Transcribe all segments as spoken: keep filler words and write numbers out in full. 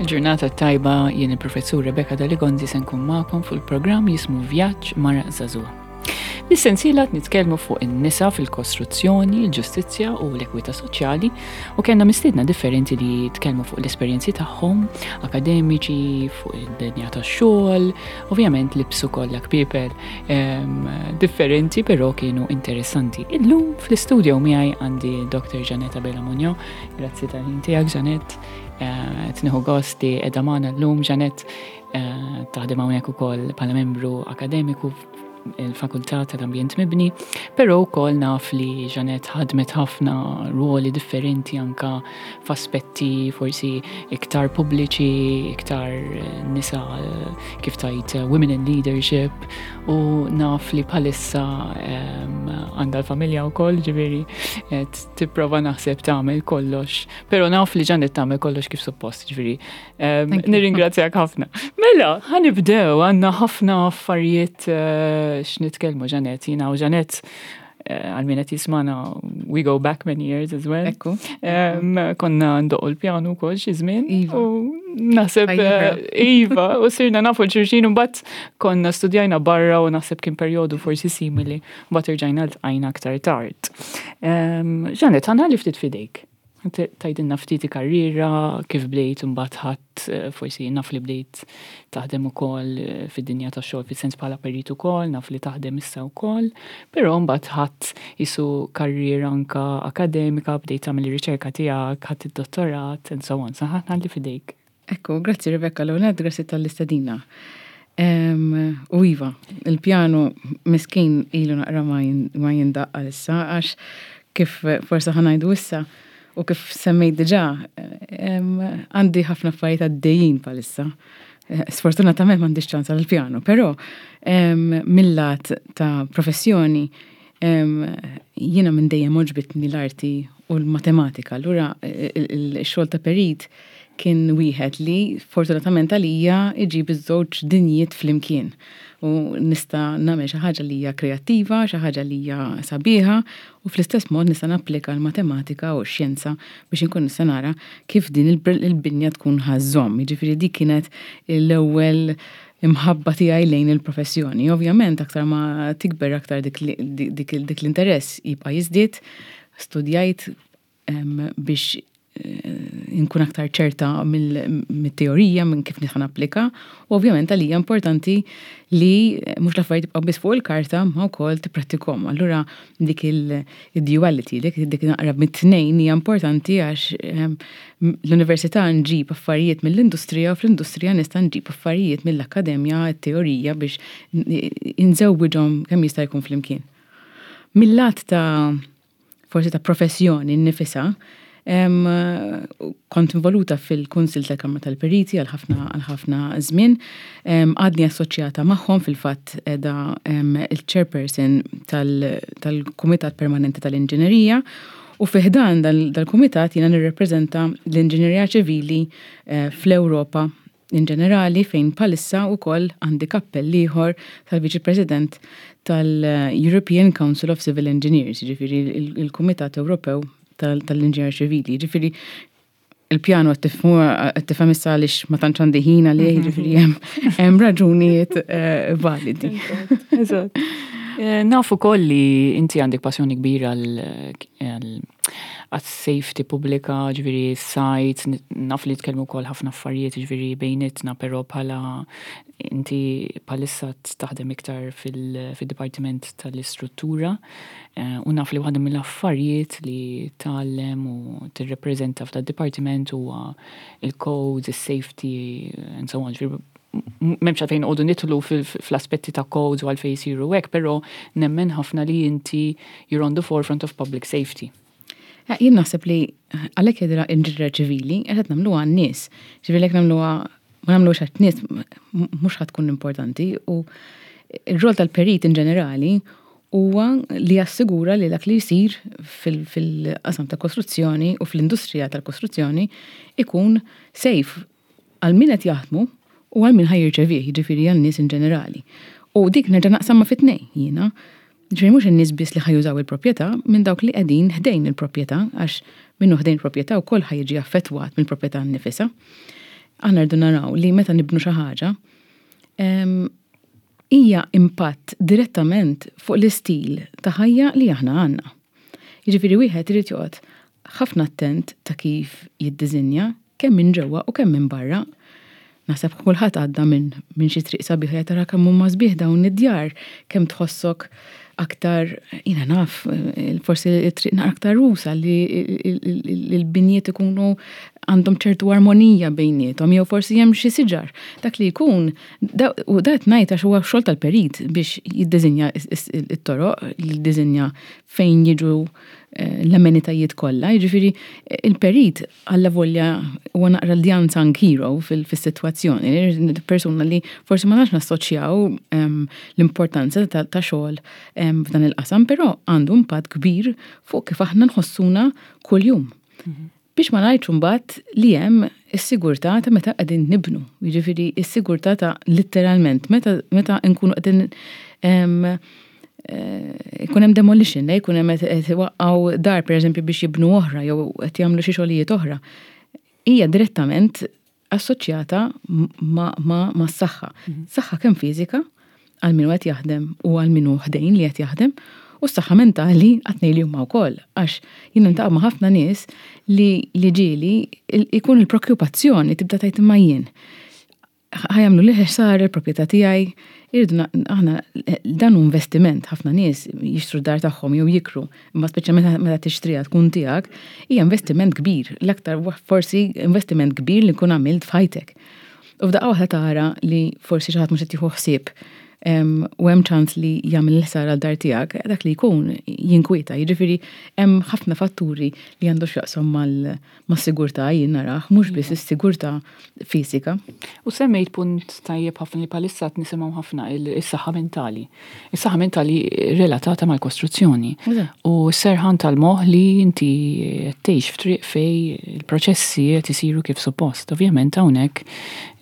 Il-ġurnata tajba, jien il-professur Rebecca Daligonzi se nkun magħkom fuq il-programm jismu Vjaġġ Mara Żagħżugħa. Nis-sensiela nitkellmu fuq in-nisa fil-kostruzzjoni, il-ġustizzja u l-ekwità soċjali u kellna mistiedna differenti li tkellmu fuq l-esperjenzi tagħhom, akademiċi, fuq id-dinja tax-xogħol, ovvjament libsu kollha kpiepel differenti, però kienu interessanti. Illum fl-istudio miegħi għandi Doktor Jeanette Abela Munjo. Grazzi tal-ħin tiegħek, Jeanette. Eh, Tnieħu gost li qiegħda magħna llum. Jeanette eh, taħdem hawnhekk ukoll bħala membru akademiku il-Fakultà tal-Ambjent Mibni, però wkoll naf li Jeanette ħadmet ħafna ruoli differenti anka f'aspetti forsi iktar pubbliċi, iktar nisa, kif tajt, women in leadership, u naf li bħalissa għandha l-familja wkoll, ġifieri tipprova naħseb tagħmel kollox, però naf li Jeanette tagħmel kollox kif suppost, ġifieri nirringrazzjak ħafna. Mela, ħa nibdew, għandna ħafna affarijiet eh, x'nitkellmu, Jeanette. Jiena u Jeanette, eh, għal min qed jismana, we go back many years as well. Ekku. Konna ndoqqu l-pjanu wkoll xi żmien. Iva. U naħseb eh, iva, u sirna nafu 'l xulxin u mbagħad konna studjajna barra u naħseb kien perjodu forsi simili, mbagħad irġajna ltqajna aktar tard. Jeanette, ħa nħalli ftit fidejk. Tgħidilna ftit karriera, kif bdejt, mbagħad ħadd eh, forsi naf li bdejt taħdem ukoll eh, fid-dinja tax-xogħol fis-sens bħala perit ukoll, naf li taħdem issa wkoll, però mbagħad ħadd isu karriera anka akademika, bdejt tagħmel ir-riċerka tiegħek, ħadd id-dottorat and so on. Sa ħa nħalli fidejk. Ekku, grazzi Rebecca, l-għonet, grazzi tal-istedina. U iva, il-pjanu miskin ilu naqra ma jindaqq issa, għax kif forsa ħa ngħidu issa, u kif semmejt diġà, għandi ħafna affarijiet għaddejjin bħalissa. Sfortunatament m'għandix ċans għal-pjanu, però mill-lat ta' professjoni jiena minn dejjem għoġbitni l-arti u l-matematika. Allura il-xogħol ta' perit kien wieħed li fortunatament għalija iġib iż-żewġ dinjiet flimkien. U nista' nagħmel xi ħaġa li hija kreattiva, xi ħaġa li hija sabiħa, u fl-istess mod nista' napplika l-matematika u x-xjenza biex inkun nista' nara kif din il-binja tkun ħa żżomm. Jiġifieri dik kienet l-ewwel imħabba tiegħi lejn il-professjoni. Ovvjament aktar ma tikber, aktar dik dik l-interess jibqa' jiżdied. Studjajt biex inkun aktar ċerta mill-teorija, minn kif nista' napplika, u ovvjament għalija importanti li mhux l-affarijiet tibqa' biss fuq il-karta, ma wkoll tipprattikhom. Allura dik il-duality, dik dik naqra mit-tnejn hija importanti, għax l-università nġib affarijiet mill-industrija u fl-industrija nista' nġib affarijiet mill-akkademja, t-teorija, biex inżewwiġhom kemm jista' jkun flimkien. Mill-lat ta' forsi ta' professjoni nnifisha, kont involuta fil-Kunsil tal-Kamra tal-Periti għal ħafna għal ħafna żmien. Għadni assoċjata magħhom, fil-fatt qiegħda il-chairperson tal-Kumitat Permanenti tal-Inġinerija, u fi ħdan dal-kumitat jiena nirrepreżenta l-inġinerija ċivili eh, fl-Ewropa in ġenerali, fejn bħalissa wkoll għandi kappell ieħor tal-Viċi President tal-European Council of Civil Engineers, ġifieri il-Kumitat Ewropew tal-Inġinier Ċivili. Ġifieri il-pjanu qed tifhem issa għaliex ma tantx għandi ħin għalih, ġifieri hemm raġunijiet eh, validi. Eżatt. Eh, nafu koll li inti għandek passjoni kbira għal safety pubblika, ġifieri sajt, naf li tkellmu wkoll ħafna affarijiet, ġifieri bejnietna, però bħala inti bħalissa taħdem iktar fil-Dipartiment tal-Istruttura eh, u naf li waħda mill-affarijiet li tgħallem u tirrepreżenta f'dad dipartiment huwa il-codes, il-safety and so on. Ġifieri m'hemmx għalfejn noqogħdu nidħlu fl-aspetti ta' codes u għalfejn jisiru hekk, però nemmen ħafna li inti you're on the forefront of public safety. Eh, jien naħseb li għalhekk jidra inġinier ċivili qed nagħmluha għan-nies. Ġifieri jekk nagħmluha ma nagħmluhx għat-nies, mhux ħa tkun importanti, u ir-rol tal-perit in ġenerali huwa li jassigura li dak li jsir fil-qasam ta' kostruzzjoni u fl-industrija tal-kostruzzjoni ikun safe għal min qed jaħdmu u għal min ħa jirċevih, jiġifieri għal nies in ġenerali. U dik nerġa' naqsamha fi tnejn jiena. Ġifieri mhux in-nies biss li ħa jużaw il-proprjetà, minn dawk li qegħdin ħdejn il-proprjetà, għax minnu ħdejn il-proprjetà wkoll ħa jiġi affettwat mill-proprjetà nnifisha. Aħna rridu naraw li meta nibnu xi ħaġa, hija impatt direttament fuq l-istil ta' ħajja li aħna għandna. Jiġifieri wieħed irid joqgħod ħafna attent ta' kif jiddiżinja kemm minn ġewwa u kemm minn barra. Naħseb kulħadd għadda minn min xi triq sabiħa, tara kemm huma sbieħ dawn id-djar, kemm tħossok aktar, jiena naf, forsi it-triq naqra aktar usa' li l-binjiet ikunu għandhom ċertu armonija bejniethom, jew forsi hemm xi siġar. Dak li jkun, u dat ngħid għax huwa xogħol tal-perit biex jiddiżinja it-toroq, jiddiżinja fejn jiġu eh, l-amenitajiet kollha. Jiġifieri il-perit alla volja huwa naqra l unsung hero fis-sitwazzjoni, persuna li forsi ma nafx nassoċjaw ehm, l-importanza ta' xogħol ehm, f'dan il-qasam, però għandu impatt kbir fuq kif aħna nħossuna kuljum. Mhm. Biex ma ngħidx imbagħad li hemm is-sigurtà ta' meta qegħdin nibnu. Jiġifieri is-sigurtà ta' literalment meta meta nkunu qegħdin eh, ikun hemm demolition, jkun hemm qed iwaqqgħu dar, pereżempju, biex jibnu oħra jew qed jagħmlu xi xogħlijiet oħra. Hija direttament assoċjata ma' ma' s-saħħa. Mhm. Saħħa kemm fiżika għal min qed jaħdem u għal min hu ħdejn li qed jaħdem, u s-saħħa mentali għat-tnejn li huma wkoll. Għax jien niltaqa' ma' ħafna nies li li ġieli ikun il-preokkupazzjoni tibda tgħid, "Imma jien ħa jagħmlu li ħsara il-proprjetà tiegħi?" Irridu aħna, dan hu investiment, ħafna nies jixtru dar tagħhom jew jikru, imma speċjalment meta tixtriha tkun tiegħek, hija investiment kbir, l-aktar forsi investiment kbir li nkun għamilt f'ħajtek. U f'daqqa waħda tara li forsi xi ħadd mhux qed jieħu ħsieb u hemm ċans li jagħmel il-ħsara l-dar tiegħek, dak li jkun jinkwieta. Jiġifieri hemm ħafna fatturi li għandu x'jaqsam mas-sigurtà, jien narah, mhux biss is-sigurtà fiżika. U semmejt punt tajjeb ħafna li bħalissa nisimgħu ħafna, is-saħħa mentali. Is-saħħa mentali relatata mal-kostruzzjoni. U serħan tal-moħħ li inti tgħix f'triq fej il-proċessi qed isiru kif suppost. Ovvjament hawnhekk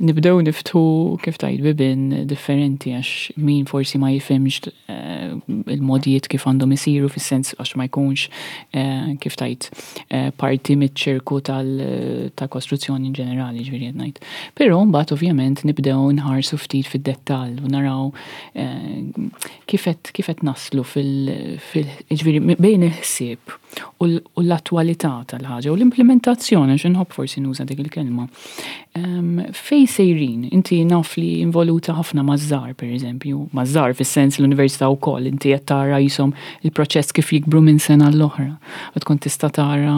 nibdew niftħu, kif tgħid, bibien differenti, għax min forsi ma jifhimx eh, il-modijiet kif għandhom isiru, fis-sens għax ma jkunx eh, kif tgħid eh, parti miċ-ċirku tal-kostruzzjoni in ġenerali, ġifieri qed ngħid. Però mbagħad ovvjament nibdew nħarsu ftit fid-dettall u naraw kif qed naslu fil, ġifieri bejn il-ħsieb u l-attwalità tal-ħaġa u l-implementazzjoni, għax inħobb forsi nuża dik il-kelma. Fej sejrin, inti naf li involuta ħafna maż-żgħar, per eżempju, maż-żgħar fis-sens l-università wkoll, inti qed tara jisom il-proċess kif jikbru minn sena l-oħra. U tkun tista' tara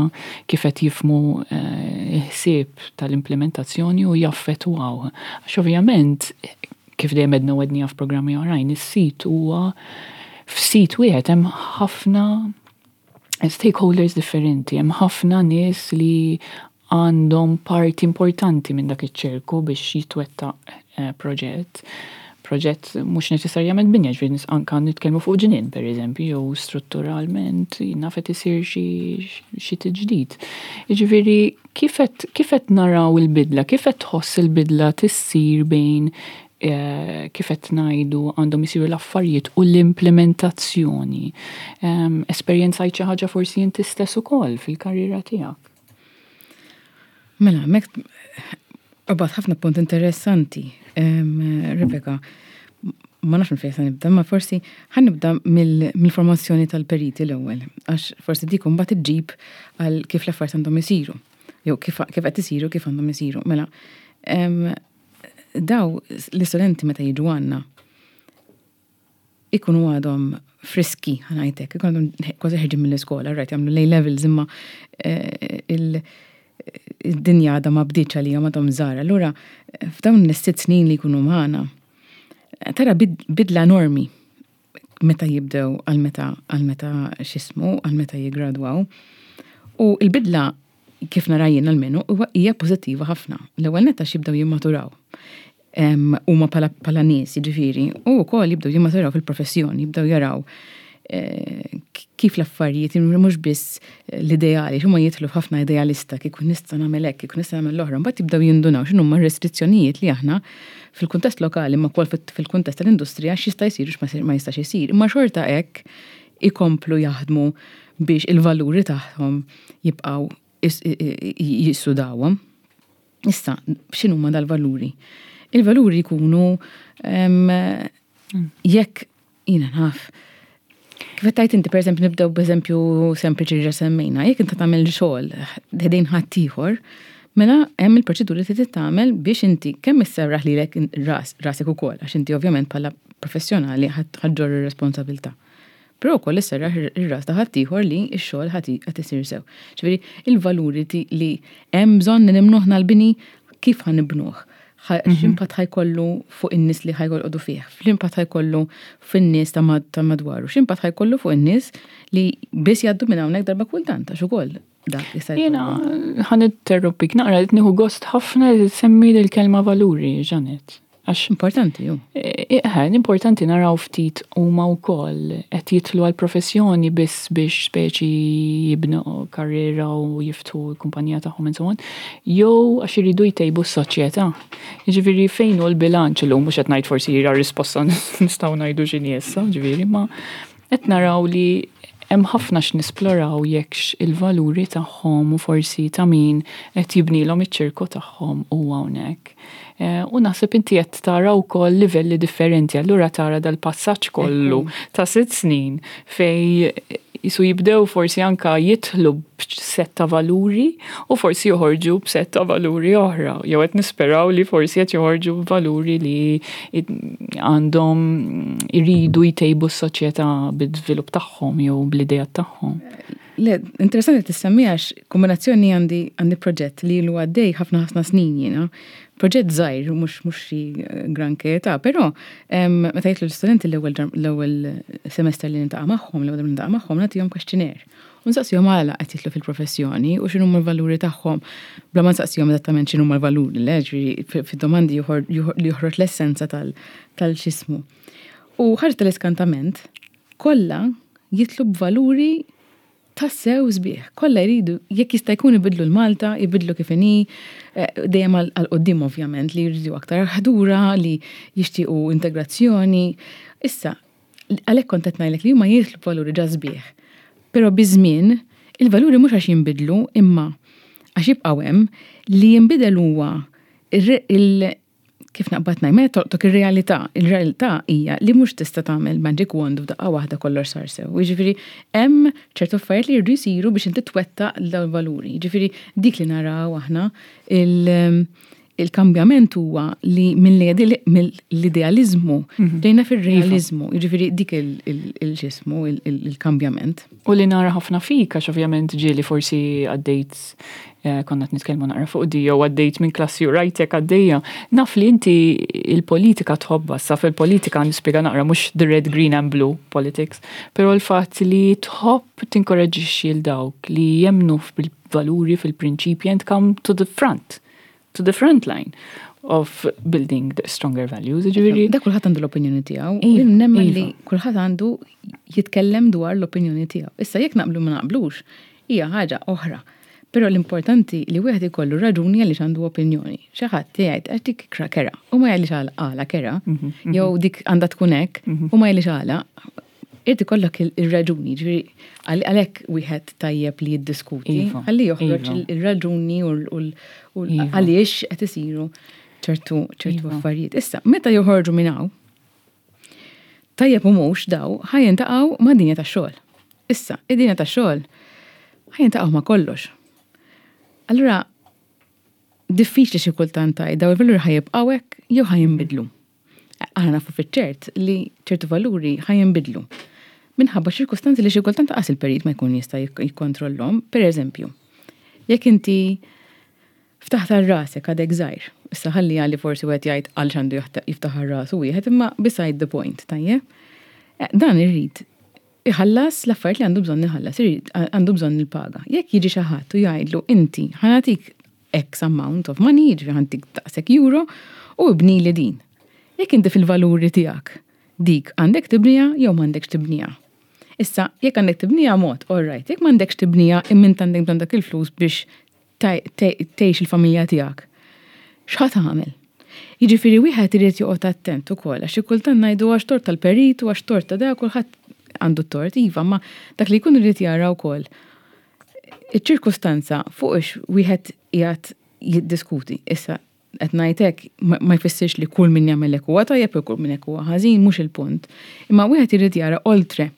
kif qed jifhmu eh, il-ħsieb tal-implementazzjoni u jaffettwaw. Għax ovvjament, kif dejjem għedna u għedna f'programmi oħrajn, is-sit huwa, f'sit wieħed hemm ħafna stakeholders differenti, hemm ħafna nies li għandhom parti importanti minn dak iċ-ċirku biex jitwettaq eh, proġett. Proġett mhux neċessarjament binja, ġifieri anka nitkellmu fuq ġnien, per eżempju, jew strutturalment naf qed isir xi tiġdid. Jiġifieri kif qed naraw il-bidla, kif qed tħoss il-bidla tissir bejn eh, kif qed ngħidu għandhom isiru l-affarijiet u l-implementazzjoni? Esperjenzajt xi ħaġa forsi inti stess ukoll fil-karriera tiegħek? Mela, mek qbadt ħafna punt interessanti, Rebecca. Ma nafx fejn se nibda, ma forsi ħa nibda mill-formazzjoni tal-periti l-ewwel, għax forsi dik mbagħad iġġib għal kif l-affarijiet għandhom isiru, jew kif qed isiru, kif għandhom isiru. Mela, daw l-istudenti meta jiġu għandna ikunu għadhom friski, ħa ngħidlek, ikunu għadhom kważi ħerġin mill-iskola, right, jagħmlu l-A levels, imma eh, il-dinja għadha ma bdietx għalihom, għadhom żgħar. Allura, f'dawn is-sitt snin li jkunu magħna, tara bidla enormi meta jibdew għal meta għal meta x'jismu, għal meta jigradwaw. U il-bidla, kif nara jien almenu, hija pożittiva ħafna. L-ewwel netta jibdew jimmaturaw huma bħala nies, jiġifieri, u wkoll jibdew jimmaturaw fil-professjoni, jibdew jaraw eh, kif l-affarijiet, mhux biss l-ideali, huma jidħlu ħafna idealista, kieku nista' nagħmel hekk, kieku nista' nagħmel l-oħra, mbagħad jibdew jindunaw x'inhuma r-restrizzjonijiet li aħna fil-kuntest lokali ma wkoll fil-kuntest tal-industrija, x'jista' jsir u ma jistax isir. Imma xorta hekk ikomplu jaħdmu biex il-valuri tagħhom jibqgħu jissudawhom. Issa, x'inhuma dal-valuri? Il-valuri jkunu jekk jiena naf. Kif tajt inti, per eżempju, nibdew b'eżempju sempliċi li semmejna, jekk inta tagħmel xogħol ħdejn ħaddieħor, mela hemm il-proċeduri li trid tagħmel biex inti kemm isserraħ lilek ras rasek ukoll, għax inti ovvjament bħala professjonali ħa ġġorr ir-responsabilità. Però wkoll isserraħ ir-ras ta' ħaddieħor li x-xogħol ħadd isir sew. Ġifieri il-valuri li hemm bżonn nibnuh l-bini, kif ħa nibnuh? Mhm. X'impatt ħa jkollu fuq in-nies li ħa joqogħdu fih, x'impatt ħa jkollu fin-nies ta' madwaru, x'impatt ħa jkollu fuq in-nies li biss jgħaddu minn hawnhekk darba kultant, għax ukoll dak jista' Jiena ħa ninterrompik naqra, qed nieħu gost ħafna li semmi l-kelma valuri, Janet. Għax importanti ju. Eh, importanti naraw ftit huma wkoll qed jidħlu għal professjoni biss biex speċi jibnu karriera u jiftħu l-kumpanija tagħhom and so on, jew għax iridu jtejbu s-soċjetà. Jiġifieri fejn hu l-bilanċ illum, mhux qed ngħid forsi jira risposta nistgħu ngħidu x'inhi issa, ġifieri, ma qed naraw li hemm ħafna x'nisploraw jekk il-valuri tagħhom u forsi ta' min qed jibnilhom iċ-ċirku tagħhom u hawnhekk. Eh, u naħseb inti qed tara wkoll livelli differenti, allura tara dal-passaġġ kollu ta' sitt snin fej jisu jibdew forsi anka jidħlu b'sett ta' valuri u forsi joħorġu b'sett ta' valuri oħra. Jew qed nisperaw li forsi qed joħorġu b'valuri li għandhom iridu jtejbu s-soċjetà bid-żvilupp tagħhom jew bl-idea tagħhom. Le, interessanti tissemmi għax kombinazzjoni għandi għandi proġett li ilu għaddej ħafna ħafna snin jiena. Proġett żgħir, mhux mhux xi granché ta', però meta jidħlu l-istudenti l-ewwel l-ewwel semester li niltaqa' magħhom, l-ewwel niltaqa' magħhom nagħtihom questionnaire. U nsaqsihom għala qed jidħlu fil-professjoni u x'inhuma l-valuri tagħhom. Bla ma nsaqsihom eżattament x'inhuma l-valuri, le, ġifieri fid-domandi li joħroġ l-essenza tal-xismu. U ħarġ tal-iskantament, kollha jidħlu b'valuri tassew sbieħ. Kollha jridu, jekk jista' jkun, ibidlu l-Malta, ibidlu kif inhi, eh, dejjem għal quddiem ovvjament, li jridu aktar ħdura, li jixtiequ integrazzjoni. Issa, għalhekk kont qed ngħidlek li huma jidħlu valuri ġa sbieħ. Però biż-żmien il-valuri mhux għax jinbidlu, imma għax jibqgħu hemm, li jinbidel huwa il kif naqbad ngħid, meta tolqtok ir-realtà, il-realtà hija li mhux tista' tagħmel magic wand u f'daqqa waħda kollox sar sew. Jiġifieri hemm ċertu affarijiet li jridu jsiru biex inti twettaq dawn il-valuri. Jiġifieri dik li naraw aħna, il-kambjament huwa li mill-idealizmu mhm. ġejna fil-realizmu, jiġifieri dik il-ġismu, il-kambjament. U li nara ħafna fik, għax ovvjament ġieli forsi għaddejt, eh, konna nitkellmu naqra fuq di, jew għaddejt minn klassi u rajtek għaddejja. Naf li inti il-politika tħobba, sa fil-politika nispjega naqra mhux the red, green and blue politics, però l-fatt li tħobb tinkoraġixxi l dawk li jemnu fil-valuri, fil-prinċipji and come to the front to the front line of building the stronger values. Ġifieri. Da kulħadd għandu l-opinjoni tiegħu. Iva, nemmen li iva. kulħadd għandu jitkellem dwar l-opinjoni tiegħu. Issa jekk naqblu ma naqblux, hija ħaġa oħra. Però l-importanti li wieħed ikollu raġuni għaliex għandu opinjoni. Xi ħadd jgħid għax dik kera u ma jgħidlix għala kera, mhm, mhm. jew dik għandha tkun hekk mhm. u ma jgħidlix għala. Irid ikollok il-raġuni, ġifieri għalhekk wieħed tajjeb li jiddiskuti, iva, ħalli joħroġ iva. il-raġuni u iva. għaliex qed isiru ċertu ċertu affarijiet. Issa, meta joħorġu minn hawn, tajjeb u mhux daw ħa jiltaqgħu ma' dinja tax-xogħol. Issa, id-dinja tax-xogħol ħa jiltaqgħu ma' kollox. Allura, diffiċli xi kultant tgħid daw il-valuri ħa jibqgħu hekk jew ħa jinbidlu. Aħna nafu fiċ-ċert li ċertu valuri ħa jinbidlu minħabba ċirkustanzi li xi kultant qas il-perit ma jkun jista' jikkontrollhom. Per eżempju, jekk inti ftaħt għal rasek għadek żgħir, issa ħalli għalli forsi wieħed jgħid għal x'għandu jiftaħ għal rasu wieħed, imma beside the point, tajjeb? Eh, dan irrid iħallas l-affarijiet li għandu bżonn iħallas, irid għandu bżonn il-paga. Jekk jiġi xi ħadd u jgħidlu: "Inti ħa nagħtik X amount of money, jiġifieri ħa ntik daqshekk euro u ibni li din." Jekk inti fil-valuri tiegħek dik għandek tibnija jew m'għandekx tibnija? Issa, jekk għandek tibnija mod, all right, jekk m'għandekx tibnija imma int għandek bżonn dak il-flus biex tgħix il-familja tiegħek, x'ħa tagħmel? Jiġifieri wieħed irid joqgħod attent ukoll għax xi kultant ngħidu għax tort tal-perit u għax tort ta' da, kulħadd għandu tort, iva, ma dak li jkun irid jara wkoll iċ-ċirkustanza fuq ix wieħed qiegħed Jiddiskuti. Issa, qed ngħidlek ma jfissirx li kull min jagħmel hekk huwa tajjeb u kull min hekk huwa ħażin, mhux il-punt. Imma wieħed irid jara oltre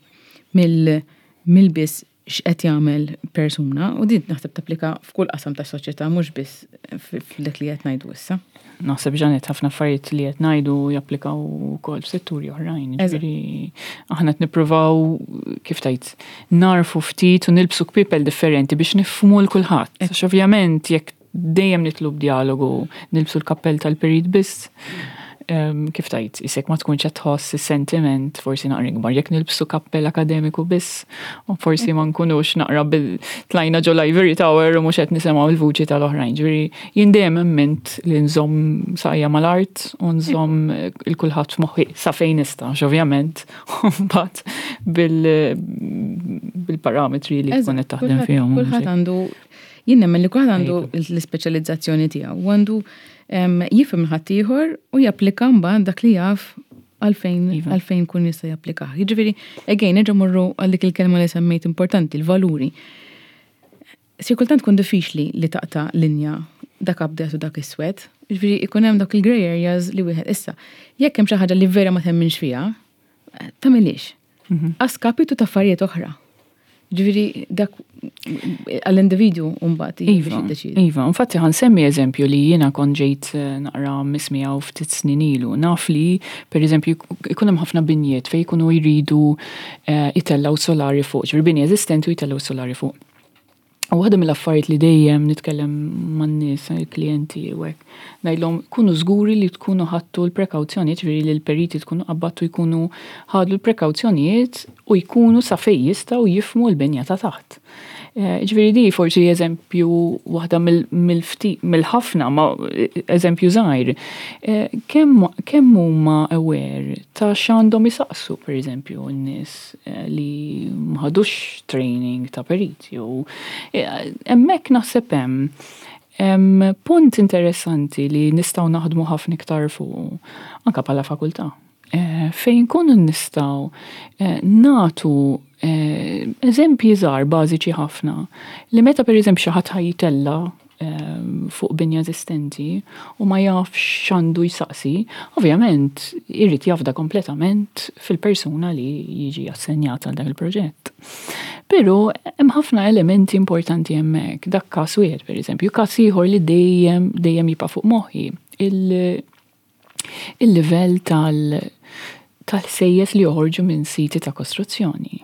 mill-biss x'qed jagħmel persuna, u din naħseb tapplika f'kull qasam tas-soċjetà, mhux biss f'dak li qed ngħidu issa. Naħseb, Janet, ħafna affarijiet li qed ngħidu japplikaw ukoll f'setturi oħrajn. Ġifieri aħna qed nippruvaw, kif tajt, narfu ftit u nilbsu kpipel differenti biex nifhmu 'l kulħadd. Għax ovvjament jekk dejjem nitlob dialogu, nilbsu l-kappell tal-perit biss, kif tajt, isek ma tkunx qed tħoss is-sentiment forsi naqra ikbar. Jekk nilbsu kappell akademiku biss, u forsi ma nkunux naqra bil tlajna ġo l-ivory tower u mhux qed nisimgħu l-vuċi tal-oħrajn. Ġifieri jien dejjem emmint li nżomm saqajja mal-art u nżomm il-kulħadd f'moħħi sa fejn nista', ovvjament, mbagħad bil-parametri li tkun qed taħdem fihom. Kulħadd għandu, jien nemmen li kulħadd għandu l-ispeċjalizzazzjoni tiegħu u għandu jifhem ħaddieħor u japplika mbagħad dak li jaf għalfejn iva. għalfejn kun jista' japplika. Jiġifieri, again, nerġa' morru għal dik il-kelma li semmejt importanti, il-valuri. Si kultant tkun diffiċli li taqta' linja dak abjad u dak iswed. Jiġifieri ikun hemm dak il-grey areas li wieħed issa. Jekk hemm xi ħaġa li vera ma temminx fiha, tagħmilix. Mhm. A skapitu ta' affarijiet oħra. Ġifieri, dak għall-individu mbagħad Iva, iva, infatti ħa nsemmi eżempju li jiena kont ġejt eh, naqra mismija u ftit snin ilu. Naf li, per eżempju, ikun hemm ħafna binjiet fejn jkunu jridu eh, jitellaw solari fuq, ġifieri bini eżistenti u jitellaw solari fuq. U waħda mill-affarijiet li dejjem nitkellem man-nies, il-klijenti u hekk, ngħidlhom kunu żguri li tkunu ħadtu l-prekawzjonijiet, ġifieri li l-periti tkunu qabbattu jkunu ħadu l-prekawzjonijiet u jkunu sa fejn jistgħu jifhmu l-binja ta' taħt. Eh, ġifieri di forsi eżempju waħda mill-ħafna, ma eżempju żgħir. Eh, kemm huma aware ta' x'għandhom isaqsu, per eżempju, n-nies eh, li m'ħadux training ta' periti u hemmhekk naħseb hemm punt interessanti li nistgħu naħdmu ħafna iktar fuq anka bħala fakultà. Fejn kunu nistgħu nagħtu eżempji żgħar bażiċi ħafna li meta, per eżempju, xi ħadd ħa jtella' fuq binja eżistenti u ma jafx x'għandu jsaqsi, ovvjament irrid jafda kompletament fil-persuna li jiġi assenjata għal dak il-proġett. Però hemm ħafna elementi importanti hemmhekk. Dak każ wieħed, pereżempju, każ ieħor li dejjem dejjem jibqa' fuq moħħi, il-livell tal tal-ħsejjes li joħorġu minn siti ta' kostruzzjoni.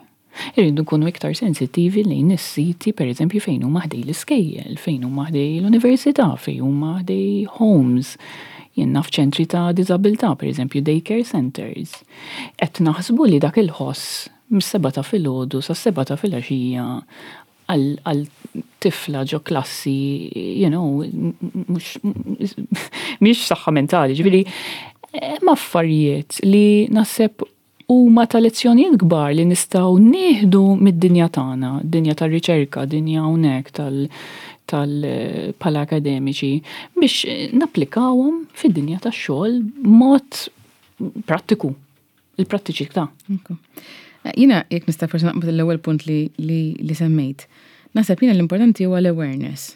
Irridu nkunu iktar sensittivi lejn is-siti, per eżempju, fejn huma ħdej l-iskejjel, fejn huma ħdej l-università, fejn huma ħdej homes, jien naf ċentri ta' diżabilità, per eżempju daycare centers. Qed naħsbu li dak il-ħoss mis-sebgħa ta' filgħodu sa' sebgħa ta' filgħaxija għal tifla ġo klassi, you know, mhux mhix saħħa mentali, ġifieri hemm affarijiet li naħseb huma ta' lezzjonijiet kbar li nistgħu nieħdu mid-dinja tagħna, dinja tar-riċerka, dinja hawnhekk tal tal bħala akademiċi, biex napplikawhom fid-dinja tax-xogħol mod prattiku, il-prattiċità. Jiena, jekk nista' forsi naqbad l-ewwel punt li, li, li semmejt. Naħseb jiena l-importanti huwa l-awareness.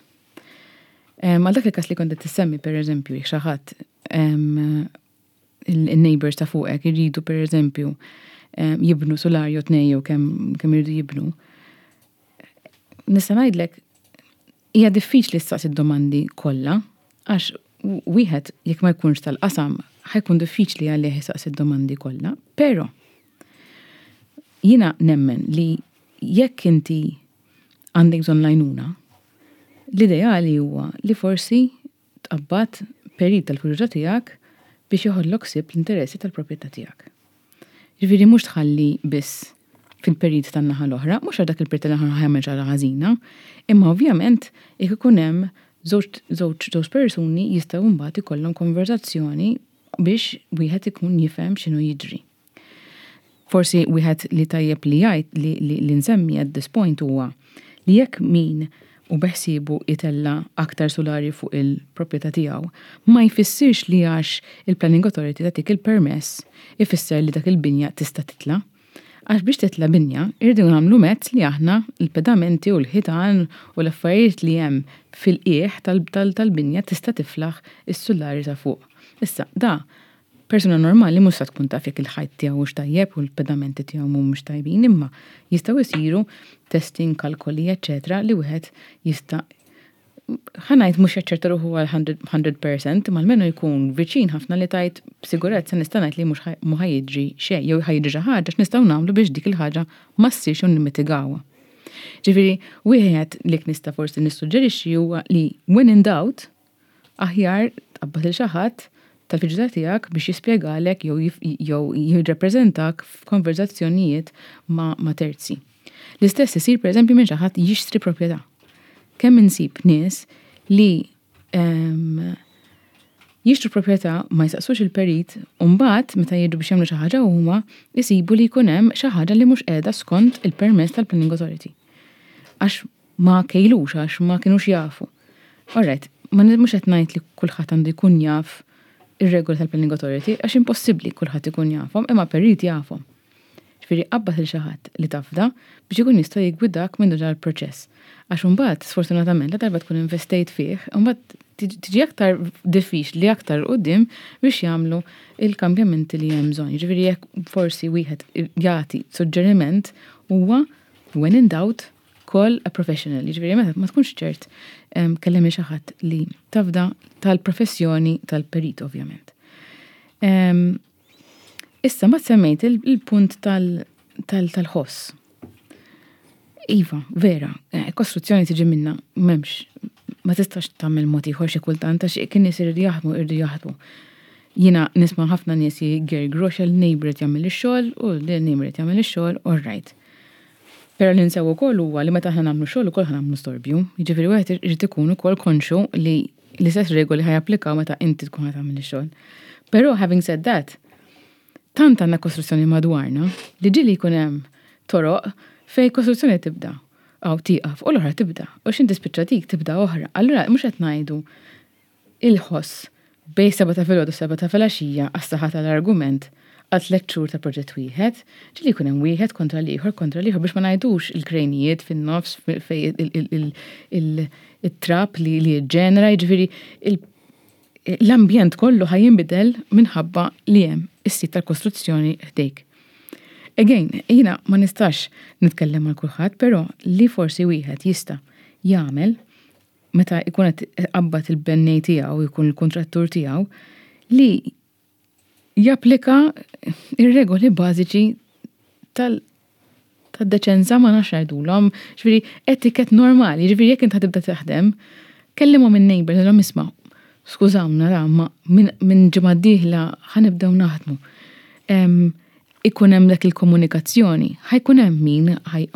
Għal dak il-każ li kont qed tissemmi, per eżempju, jekk xi ħadd, il-neighbors ta' fuqek irridu, per eżempju, jibnu solar jew tnejn jew kemm kemm irridu jibnu. Nista' ngħidlek hija diffiċli staqsi d-domandi kollha, għax wieħed jekk ma jkunx tal-qasam ħa jkun diffiċli għalih jistaqsi d-domandi kollha, però jiena nemmen li jekk inti għandek bżonn l-għajnuna, l-ideali huwa li forsi tqabbad perit tal-fiduċja tiegħek biex joħodlok ħsieb l-interessi tal-proprjetà tiegħek. Ġifieri mhux tħalli biss fil-perit tan-naħa l-oħra, mhux għal dak il-perit tan-naħa l-oħra jagħmel xi ħażina, imma ovvjament jekk ikun hemm żewġ żewġ persuni jistgħu mbagħad ikollhom konverzazzjoni biex wieħed ikun jifhem x'inhu jiġri. Forsi wieħed li tajjeb li jgħid li, li, li nsemmi at this point huwa li jekk min u beħsiebu jtella' aktar solari fuq il-proprjetà tiegħu, ma jfissirx li għax il-Planning Authority tagħtik il-permess ifisser li dak il-binja tista' titla'. Għax biex titla binja, irridu nagħmlu mezz li aħna il-pedamenti u l-ħitan u l-affarijiet li hemm fil-qiegħ tal-binja tista' tiflaħ is-sulari ta' fuq. Issa, da, persuna normali mhux se tkun taf jekk il-ħajt tiegħu hux tajjeb u l-pedamenti tiegħu mhumiex tajbin, imma jistgħu jsiru testing, kalkoli, eċċetera, li wieħed jista' ħa ngħid mhux jaċċerta ruħu għal mija fil-mija, imma almenu jkun viċin ħafna li tgħid b'sigurezza nista' ngħid li mhux mhu ħa jiġri xejn jew ħa jiġri xi ħaġa, x'nistgħu nagħmlu biex dik il-ħaġa ma ssirx u nimmitigawha. Ġifieri, wieħed li nista' forsi nissuġġerixxi huwa li when in doubt, aħjar tqabbad lil xi ħadd tal-fiduċja tiegħek biex jispjegalek jew jew jirrappreżentak f'konverzazzjonijiet ma', ma terzi. L-istess isir, pereżempju, minn xi ħadd jixtri proprjetà. Kemm insib nies li um, jixtru proprjetà, ma jsaqsux il-perit, u mbagħad meta jiġu biex jagħmlu xi ħaġa huma jsibu li jkun hemm xi ħaġa li mhux qiegħda skont il-permess tal-Planning Authority. Għax ma kejlux, għax ma kienux jafu. Alright, ma mhux qed ngħid li kulħadd għandu jkun jaf ir-regoli tal-Planning Authority, għax impossibbli kulħadd ikun jafhom, imma perit jafhom. Ġifieri qabbad lil xi ħadd li tafda biex ikun jista' jiggwidak minn dan il-proċess. Għax imbagħad, sfortunatament, la darba tkun investejt fih, imbagħad tiġi aktar diffiċli aktar quddiem biex jagħmlu il-kambjamenti li hemm bżonn. Ġifieri jekk forsi wieħed jagħti suġġeriment huwa when in doubt, call a professional. Ġifieri meta ma tkunx ċert, kellem xi ħadd li tafda tal-professjoni tal-perit, ovvjament. Issa ma semmejt il-punt tal-ħoss. Iva, vera, eh, kostruzzjoni tiġi minna, m'hemmx, ma tistax tagħmel mod ieħor xi kultant għax kien nies iridu jaħdmu, irridu jaħdmu. Jiena nisma' ħafna nies jgergru għax il-neighbor jagħmel ix-xogħol u l-neighbor jagħmel ix-xogħol, all right. Però li nsew ukoll huwa li meta aħna nagħmlu xogħol ukoll nagħmlu storbju. Jiġifieri wieħed irid ikun ukoll konxu li l-istess regoli ħa japplikaw meta inti tkun ħa tagħmel ix-xogħol. Però having said that, tant għandna kostruzzjoni madwarna li ġieli jkun hemm toroq fej kostruzzjoni tibda aw tieqaf u l-oħra tibda u x'ħin tispiċċa dik tibda oħra. Allura mhux qed ngħidu il-ħoss bejn seba ta' filgħodu seba ta' filgħaxija għas-saħħa tal-argument għal tliet xhur ta' proġett wieħed, ġieli jkun hemm wieħed kontra l-ieħor kontra l-ieħor, biex ma ngħidux il-krejnijiet fin-nofs fej il-trab li li ġenera, jiġifieri l-ambjent kollu ħa jinbidel minħabba li hemm is-sit tal-kostruzzjoni ħdejk. Again, jiena ma nistax nitkellem għal kulħadd, però li forsi wieħed jista' jagħmel meta jkun qed qabbad il-bennej tiegħu, jkun il-kontrattur tiegħu, li japplika ir-regoli bażiċi tal tad-deċenza, ma nafx ngħidulhom, ġifieri etiket normali, ġifieri jekk int tibda taħdem, kellimhom in-neighbor, ngħidilhom, "Isma', skużawna ra, ma minn ġimgħa d-dieħla ħa nibdew naħdmu." Ikun hemm dak il-komunikazzjoni, ħa jkun hemm min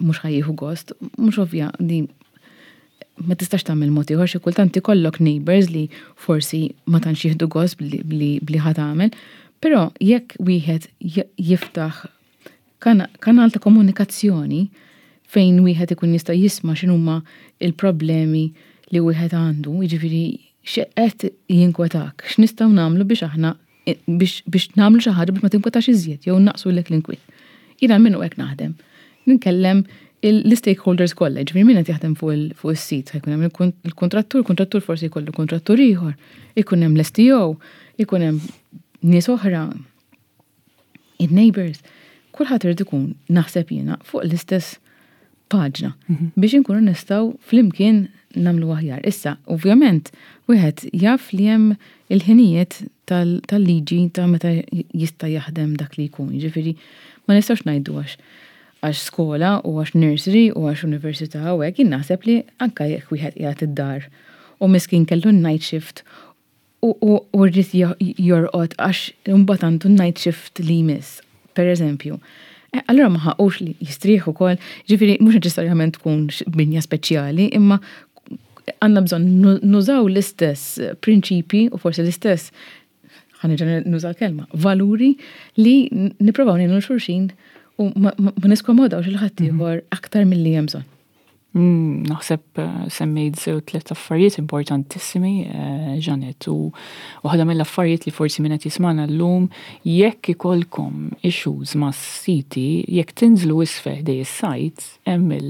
mhux ħa jieħu gost, mhux ovvja di ma tistax tagħmel mod ieħor, xi kultant ikollok neighbors li forsi ma tantx jieħdu gost bli ħa tagħmel, però jekk wieħed jiftaħ kanal ta' komunikazzjoni fejn wieħed ikun jista' jisma' x'inhuma il-problemi li wieħed għandu, jiġifieri x'qed jinkwetak, x'nistgħu nagħmlu biex aħna biex, biex nagħmlu xi ħaġa biex ma tinkwetax iżjed jew naqsulek l-inkwiet. Jiena minnu hekk naħdem. Ninkellem l-stakeholders kollha, ġifieri min qed jaħdem fuq is-sit, ħa jkun hemm il-kontrattur, il-kontrattur forsi jkollu kontrattur ieħor, ikun hemm l-S T O, ikun hemm nies oħra, in-neighbors. Kulħadd irid ikun, naħseb jiena, fuq l-istess paġna mhm. biex inkunu nistgħu flimkien nagħmlu aħjar. Issa, ovvjament, wieħed jaf li hemm il-ħinijiet tal-liġi ta' meta jista' jaħdem dak li jkun. Ġifieri ma nistgħux ngħidu għax għax skola u għax nursery u għax università u hekk. Jien naħseb li anke jekk wieħed qiegħed id-dar u miskin kellu night shift u rrid jorqod għax mbagħad għandu night shift li jmiss, per eżempju. Eh, allora ma ħaqux li jistrieħu ukoll, ġifieri mhux neċessarjament tkun binja speċjali, imma għandna bżonn nużaw l-istess prinċipi u forsi l-istess, ħa nerġa' nuża l-kelma, valuri li nipprovaw ngħinu xulxin u ma niskomodawx il-ħaddieħor mhm. aktar milli hemm bżonn. Mm, naħseb eh, semmejt żewġ tliet affarijiet importantissimi, eh, Jeanette, u waħda mill-affarijiet li forsi min qed jismagħna llum, jekk ikollkom issues ma' siti, jekk tinżlu isfel ħdejn is-site, hemm il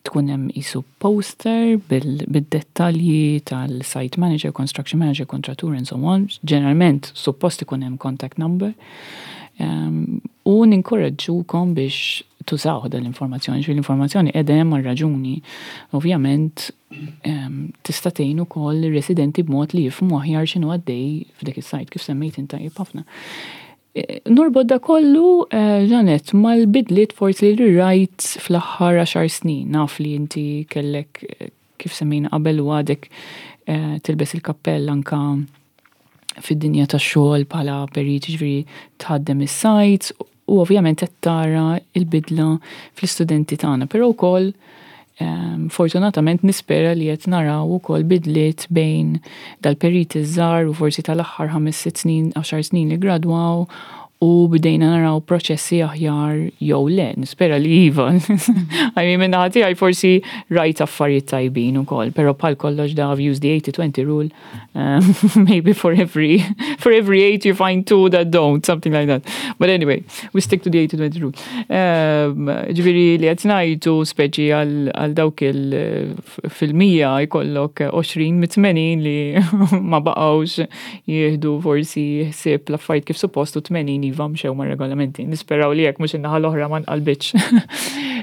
tkun hemm qisu poster bil-dettalji tal-site manager, construction manager, kontrattur and so on. Ġeneralment suppost ikun hemm contact number. Um, u ninkoraġġukom biex tużaw dal-informazzjoni, ġifieri l-informazzjoni qiegħda hemm raġuni. Ovvjament um, tista' tgħin ukoll ir-residenti b'mod li jifhmu aħjar x'inhu għaddej f'dik is-site, kif semmejt inta ħafna. E, norbot da kollu, eh, Jeanette, mal-bidliet forsi li rajt fl-aħħar għaxar snin. Naf li inti kellek, eh, kif semmejna qabel, u għadek eh, tilbes il-kappell anka fid-dinja tax-xogħol bħala perit, ġifieri tħaddem is-sites u ovvjament qed tara il-bidla fl-istudenti tagħna, però wkoll um, fortunatament nispera li qed naraw ukoll bidliet bejn dal-periti żgħar u forsi tal-aħħar ħames, sitt snin, għaxar snin li gradwaw u bdejna naraw proċessi aħjar jew le, nispera li iva. I mean, minn naħa tiegħi forsi rajt affarijiet tajbin ukoll, però bħal kollox da I've used the eighty twenty rule, um, maybe for every for every eight you find two that don't, something like that. But anyway, we stick to the eighty twenty rule. Um, ġifieri li qed ngħidu speċi għal dawk il fil-mija jkollok għoxrin mit-tmenin li ma baqgħux jieħdu forsi ħsieb l-affarijiet kif suppost u tmenin iva mxew ma' regolamenti. Nisperaw li jekk mhux in-naħa l-oħra ma nqalbitx.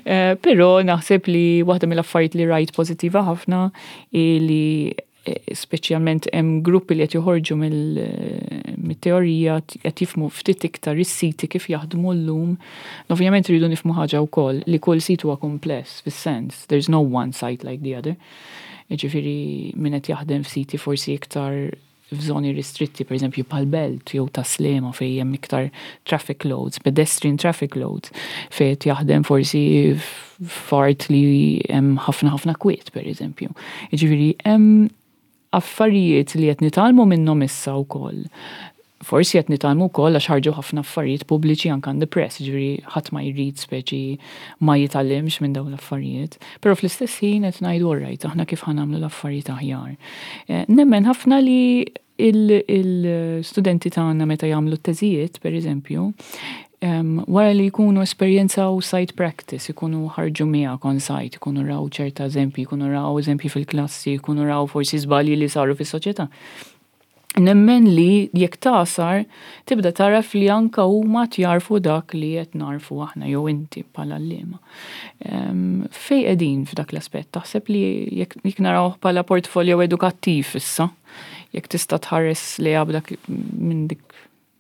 Eh, però naħseb li waħda mill-affarijiet li rajt pożittiva ħafna li eh, speċjalment hemm gruppi li qed joħorġu mill-teorija qed jifhmu ftit iktar is-siti kif jaħdmu llum. Ovvjament rridu nifhmu ħaġa wkoll, li kull sit huwa kumpless fis-sens, there's no one site like the other. Ġifieri min qed jaħdem f'siti forsi iktar f'żoni ristritti, per eżempju pal-Belt jew Tas-Sliema, fejn hemm iktar traffic loads, pedestrian traffic loads, fejn qed jaħdem forsi f'art li hemm ħafna ħafna kwiet, per eżempju. Ġifieri hemm affarijiet li qed nitgħallmu minnhom issa wkoll. Forsi qed nitgħallmu wkoll għax ħarġu ħafna affarijiet pubbliċi anke in the press, ġifieri ħadd ma jrid speċi ma jitgħallimx minn dawn l-affarijiet. Però fl-istess ħin qed ngħidu, alright, aħna kif ħa nagħmlu l-affarijiet aħjar? Eh, nemmen ħafna li il-studenti tagħna meta jagħmlu t-teżijiet, per eżempju, wara li jkunu esperjenzaw site practice, jkunu ħarġu miegħek on site, jkunu raw ċerta eżempji, jkunu raw eżempji fil-klassi, jkunu raw forsi żbalji li saru fis-soċjetà. Nemmen li jekk tasar tibda taraf li anka huma tjarfu dak li qed narfu aħna jew inti bħala għalliema. Fej qegħdin f'dak l-aspett? Taħseb li jekk naraw bħala portfolio edukattiv issa, jekk tista' tħares li dak minn dik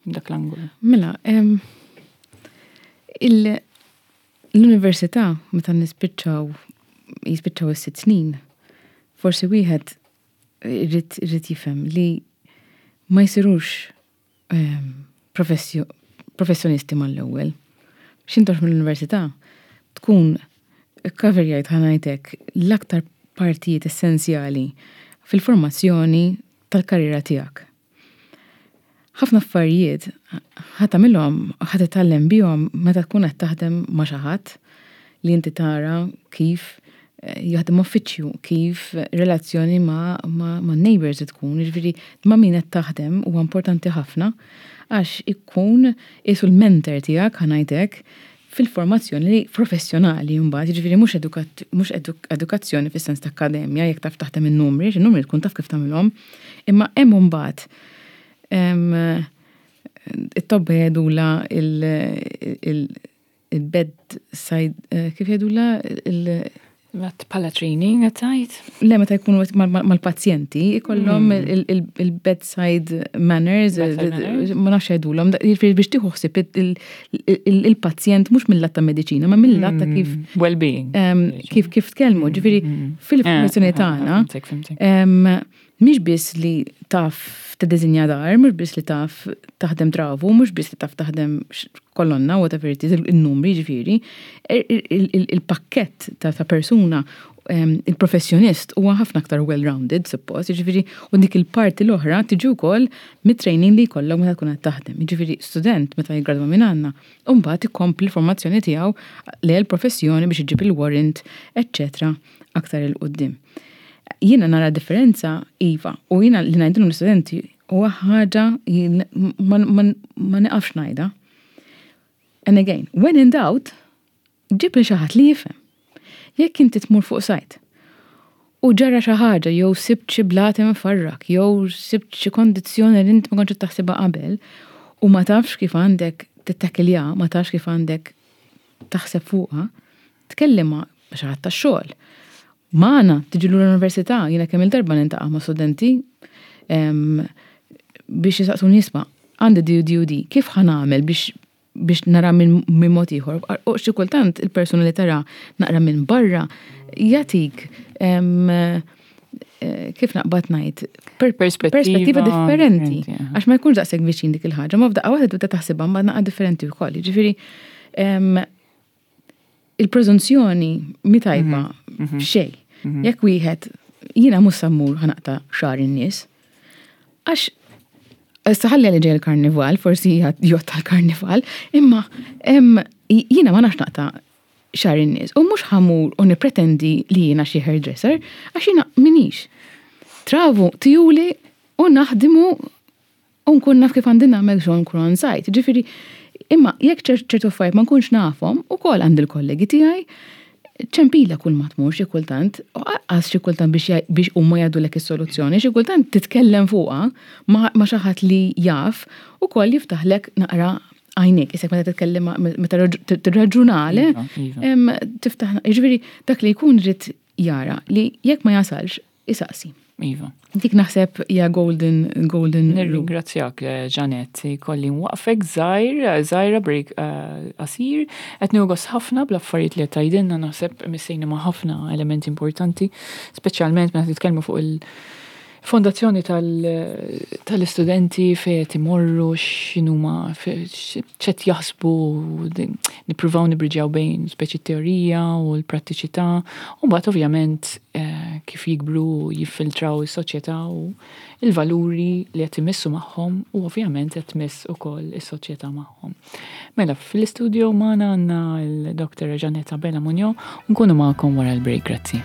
dak l-angolu? Mela, l-università meta nispiċċaw, jispiċċaw is-sitt snin, forsi wieħed irid jifhem li ma jsirux professjonisti mal-ewwel. X'intox mill-università tkun coverjajt, ħa ngħidlek, l-aktar partijiet essenzjali fil-formazzjoni tal-karriera tiegħek. Ħafna affarijiet ħa tagħmilhom, ħa titgħallem bihom meta tkun qed taħdem ma' xi ħadd li inti tara kif eh, jaħdem uffiċċju, kif relazzjoni ma', ma, ma neighbors tkun, jiġifieri ma' min qed taħdem huwa importanti ħafna għax ikun qisu l-mentor tiegħek, ħa ngħidlek, fil-formazzjoni professjonali mbagħad, jiġifieri mhux mhux edukazzjoni fis-sens ta' akkademja, jekk taf taħdem in-numri, in-numri tkun taf kif tagħmilhom, imma hemm mbagħad it-tobba jgħidula il-bed side, eh, kif jgħidula il- Bħala training għedt? Le, meta jkunu mal-pazjenti, ikollhom hmm. il-bedside manners, ma nafx jgħidulhom, jiġifieri biex tieħu ħsieb il-pazjent mhux mill-lat ta' mediċina, ma mill-lat ta' kif hmm. Well-being. Kif kif tkellmu, ġifieri hmm. fil-formazzjoni eh, tagħna. Mhix biss li taf tiddisinja dar, mhux biss li taf taħdem travu, mhux biss li taf taħdem kolonna, whatever it is, il-numri ġifieri, il-pakkett ta' persuna Il-professjonist huwa ħafna aktar well-rounded, suppost, jiġifieri, u dik il-parti l-oħra tiġi wkoll mit-training li jkollok meta tkun qed taħdem. Jiġifieri student meta jiggradwa minn għandna, u mbagħad ikompli l-formazzjoni tiegħu lejn il-professjoni biex iġib il-warrant, eċċetera, aktar 'il quddiem. Jiena nara differenza, iva, u jiena li ngħidilhom l-istudenti huwa ħaġa ma nieqafx ngħidha. And again, when in doubt, ġib li xi ħadd li jifhem. Jekk inti tmur fuq site u ġara xi ħaġa jew sibt xi blat imfarrak jew sibt xi kondizzjoni li inti ma kontx taħsibha qabel u ma tafx kif għandek tittakilja, ma tafx kif għandek taħseb fuqha, tkellem ma' xi ħadd tax-xogħol. Magħna tiġi l-università, jiena kemm il-darba niltaqa' ma' studenti biex jisaqsuni, "Isma', għandi di u di u di, kif ħa nagħmel biex biex nara minn min mod ieħor?" U xi kultant il-persuna li tara naqra minn barra jagħtik eh, kif naqbad ngħid perspettiva differenti. Għax ma jkunx daqshekk viċin dik il-ħaġa, ma f'daqqa waħda tibda taħsibha ma naqra differenti wkoll. Jiġifieri il-preżunzjoni mi tajba mhm, mhm. xejn. Mhm. Jekk wieħed jiena mhux sa mmur ħa naqta' xagħar in-nies. Għax issa ħalli li ġej il-karnival, forsi jgħod tal-karnival, imma jiena ma nafx naqta' xagħar in-nies. U mhux ħa mmur u nipretendi li jiena xi hairdresser, għax jiena minix. Travu tijuli u naħdimu u nkun naf kif għandi nagħmel xogħol nkun on site. Ġifieri, imma jekk ċertu affarijiet ma nkunx nafhom, ukoll għandi l-kollegi tiegħi, ċempila kull ma tmur xi kultant, u għas xi kultant biex biex huma jgħidulek is-soluzzjoni, xi kultant titkellem fuqha ma xi ħadd li jaf ukoll jiftaħlek naqra għajnek, isek meta titkellem, meta tirraġunale, iva, iva. tiftaħ, jiġifieri dak li jkun irid jara li jekk ma jasalx, isaqsi. Iva. Dik naħseb hija golden golden. Nirringrazzjak, eh, Janet, kolli nwaqfek żgħir, żgħira break eh, qasir, qed nieħu ħafna bl-affarijiet li qed tgħidilna, naħseb missejna ma' ħafna elementi importanti, speċjalment meta titkellmu fuq il- Fondazzjoni tal-istudenti fejn qed imorru, x'inhuma x'qed jaħsbu, nippruvaw nibriġjaw bejn speċi teorija u l-prattiċità, u mbagħad ovvjament eh, kif jikbru jiffiltraw is-soċjetà u il-valuri li qed imissu magħhom u ovvjament qed tmiss ukoll is-soċjetà magħhom. Mela, fl-istudio magħna għandna l-Doktor Janetta Bella Munjo, nkunu magħkom wara l-break, grazzi.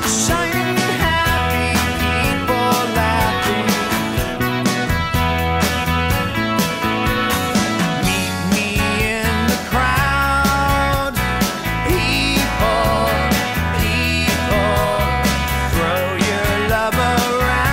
Shining happy people laughing. Meet me in the crowd. People, people, throw your love around.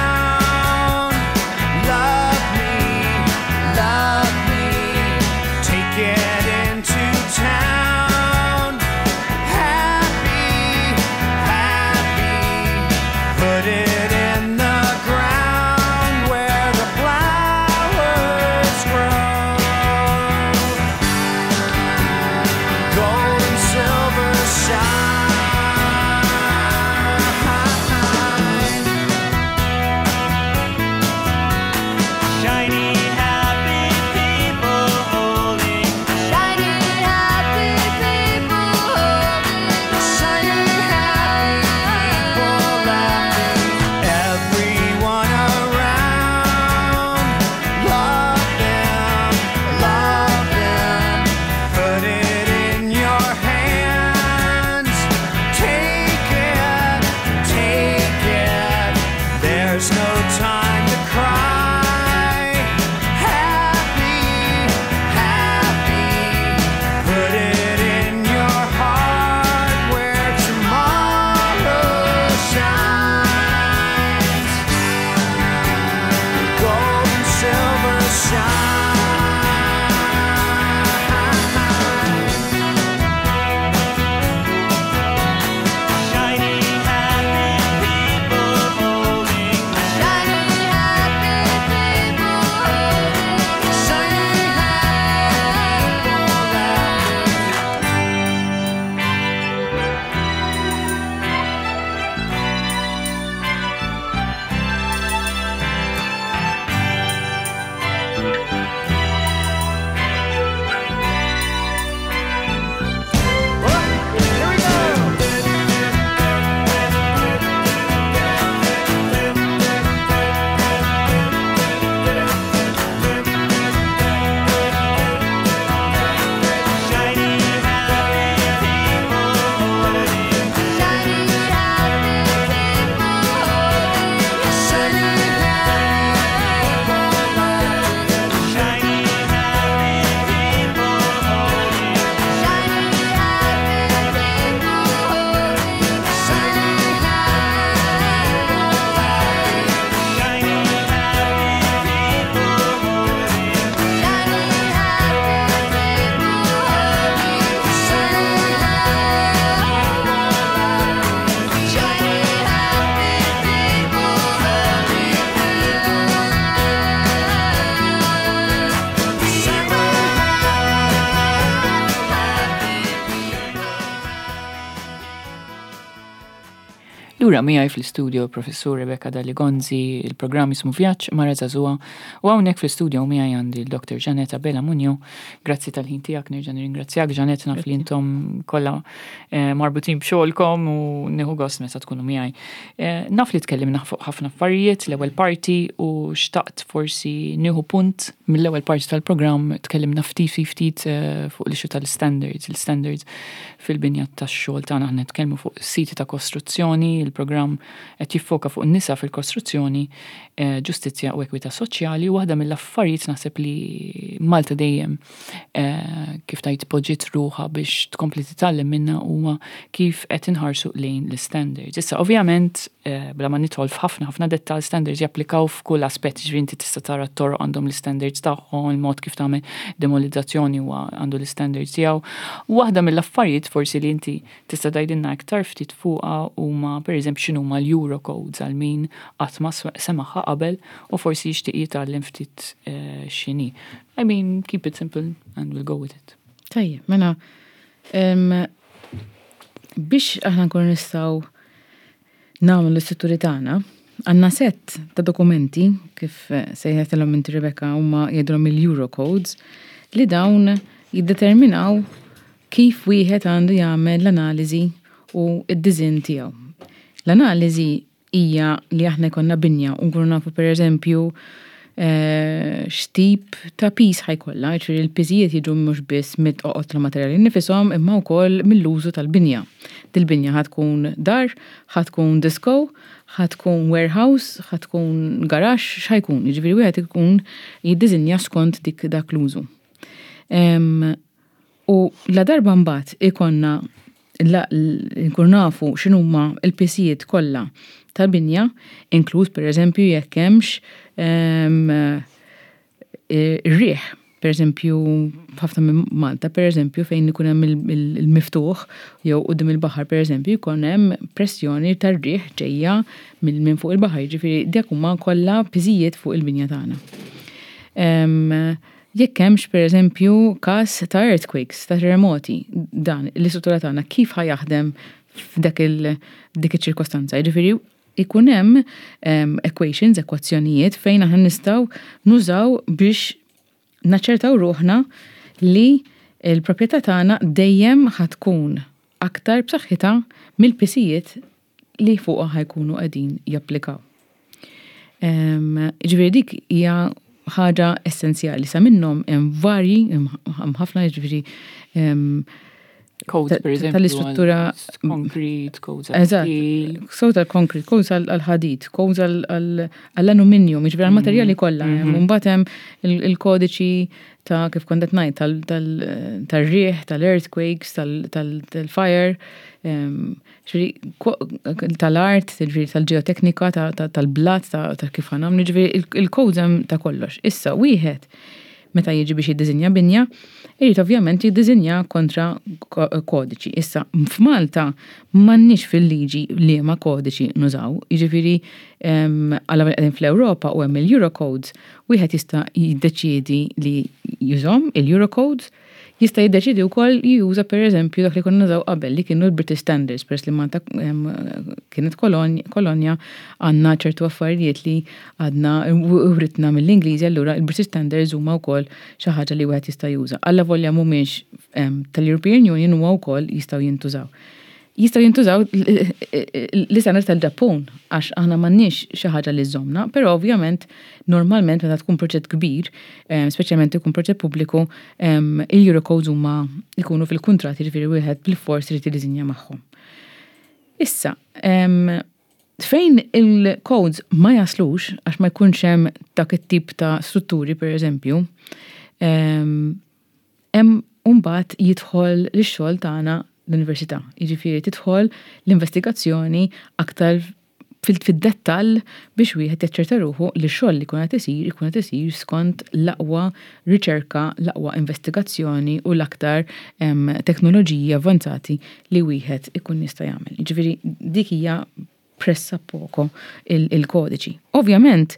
Lura miegħi fl-istudio Professur Rebecca Dalli Gonzi, il-programm jismu Vjaġġ Mara Żagħżugħa, u hawnhekk fl-istudio miegħi għandi l-Doktor Janet Abela Munjo. Grazzi tal-ħin tiegħek, nerġa' nirringrazzjak, Janet, naf li intom kollha eh, marbutin b'xogħolkom u nieħu gost meta tkunu miegħi. Eh, naf li tkellimna fuq ħafna affarijiet l-ewwel parti u xtaqt forsi nieħu punt mill-ewwel parti tal-programm. Tkellimna ftit ftit eh, fuq l-issue tal-standards, il-standards fil-binja tax-xogħol tagħna. Aħna nitkellmu fuq siti ta' kostruzzjoni, il-programm qed jiffoka fuq nisa fil-kostruzzjoni, eh, ġustizzja u ekwità soċjali, u waħda mill-affarijiet naħseb li Malta dejjem eh, kif tajt poġġiet ruħha biex tkompli titgħallem minna huwa kif qed inħarsu lejn l-standards. Issa, ovvjament, eh, bla ma nidħol f'ħafna ħafna dettal, standards japplikaw f'kull aspett, ġifieri inti tista' tara t-toroq għandhom l-standards tagħhom, il-mod kif tagħmel demolizzazzjoni huwa għandu l-standards tiegħu. Waħda mill-affarijiet forsi li inti tista' tgħidilna aktar ftit fuqha huma, pereżempju, x'inhuma l-Eurocodes, għal min qatt ma semagħha qabel u forsi jixtieq jitgħallem ftit eh, x'inhi. I mean, keep it simple and we'll go with it. Tajjeb, mela, biex aħna nkunu nistgħu nagħmlu l-istrutturi tagħna, għandna set ta' dokumenti, kif eh, sejħetilhom inti, Rebecca, huma jgħidulhom il-Eurocodes, li dawn jiddeterminaw kif wieħed għandu jagħmel l-analiżi u d-design tiegħu. L-analiżi hija li aħna jkollna binja u nkunu nafu, pereżempju, eh, x'tip ta' piż ħa jkollha, ġifieri l-piżijiet jiġu mhux biss mit-toqol tal-materjali nifishom imma wkoll mill-użu tal-binja. Dil-binja ħa tkun dar, ħa tkun disco, ħa tkun warehouse, ħa tkun garaxx, x'ħa jkun? Jiġifieri wieħed ikun jiddiżinja skont dik dak l-użu. U la darba mbagħad ikollna nkun nafu x'inhuma l-pisijiet kollha tal-binja, inkluż, pereżempju, jekk hemmx ir-riħ. Per eżempju, ħafna minn Malta, per eżempju, fejn ikun hemm il-miftuħ jew quddiem il-baħar, per eżempju, jkun hemm pressjoni tar-riħ ġejja minn fuq il-baħar, jiġifieri dak huma kollha piżijiet fuq il-binja tagħna. Jekk hemmx, per eżempju, każ ta' earthquakes, ta' terremoti, dan l-istruttura tagħna kif ħa jaħdem f'dak dik iċ-ċirkostanza? Jiġifieri ikun hemm equations, ekwazzjonijiet fejn aħna nistgħu nużaw biex naċċertaw ruħna li l-proprjetà tagħna dejjem ħa tkun aktar b'saħħitha mill-pisijiet li fuqha ħa jkunu qegħdin japplikaw. Ġifieri dik hija ħaġa essenzjali. Sa minnhom hemm varji, hemm ħafna, ġifieri codes, per eżempju, tal-istruttura. Concrete, codes. Eżatt, codes għal-concrete, codes għal-ħadid, codes għall-aluminium, jiġifieri għal-materjali kollha. Mbagħad hemm il-kodiċi ta' kif kont qed ngħid tal-riħ, tal-earthquakes, tal-fire, tal-art, ġifieri tal-ġeoteknika, tal-blat, ta' kif ħa nagħmlu, ġifieri il-codes hemm ta' kollox. Issa, wieħed meta jiġi biex jiddiżinja binja, irid ovvjament jiddiżinja kontra kodiċi. Issa, f'Malta m'għandniex fil-liġi liema kodiċi nużaw, jiġifieri għala qegħdin fl-Ewropa u hemm il-Eurocodes, wieħed jista' jiddeċiedi li jużahom il-Eurocodes, jista' jiddeċiedi wkoll juża, pereżempju, dak li konna nużaw qabel, li kienu l-British Standards, peress li Malta kienet kolonja, għandna ċertu affarijiet li għadna writna mill-Ingliżi, allura il-British Standards huma wkoll xi ħaġa li wieħed jista' juża. Alla volja mhumiex tal-European Union, huma wkoll jistgħu jintużaw. Jistgħu jintużaw l-istandard tal-Ġappun, għax aħna m'għandniex xi ħaġa li żżommna, però ovvjament normalment meta tkun proġett kbir, speċjalment ikun proġett pubbliku, il-Eurocodes huma jkunu fil-kuntratt, jiġifieri wieħed bil-fors irid jiddiżinja magħhom. Issa, fejn il-codes ma jaslux, għax ma jkunx hemm dak it-tip ta' strutturi, per eżempju, hemm mbagħad jidħol l-xogħol tagħna l-università. Jiġifieri tidħol l-investigazzjoni aktar fid-dettall biex wieħed jaċċerta ruħu li x-xogħol li jkun qed isir ikun qed isir skont l-aqwa riċerka, l-aqwa investigazzjoni u l-aktar teknoloġiji avvanzati li wieħed ikun jista' jagħmel. Jiġifieri dik hija pressa poco il-kodiċi. Ovvjament,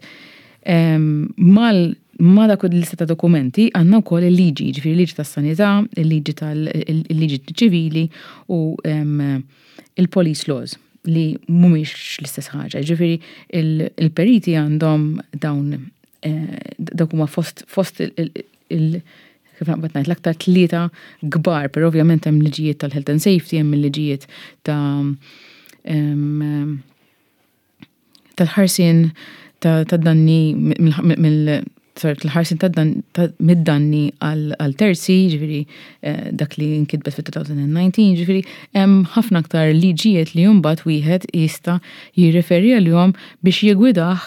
mal ma dak il-lista ta' dokumenti għandna wkoll il-liġi, ġifieri il-liġi tas-sanità, il-liġi tal-liġi ċivili u il-police laws. li mhumiex l-istess ħaġa. Ġifieri il-periti għandhom dawn eh, dawk huma fost fost il- kif naqbad ngħid, l-aktar tlieta kbar, però ovvjament hemm liġijiet tal-health and safety, hemm liġijiet ta' tal-ħarsien ta' danni mill tal-ħarsien ta' mid-danni għal terzi, ġifieri eh, dak li nkitbet fit-elfejn u dsatax, ġifieri hemm ħafna aktar liġijiet li mbagħad wieħed jista' jirreferi għalihom biex jigwidah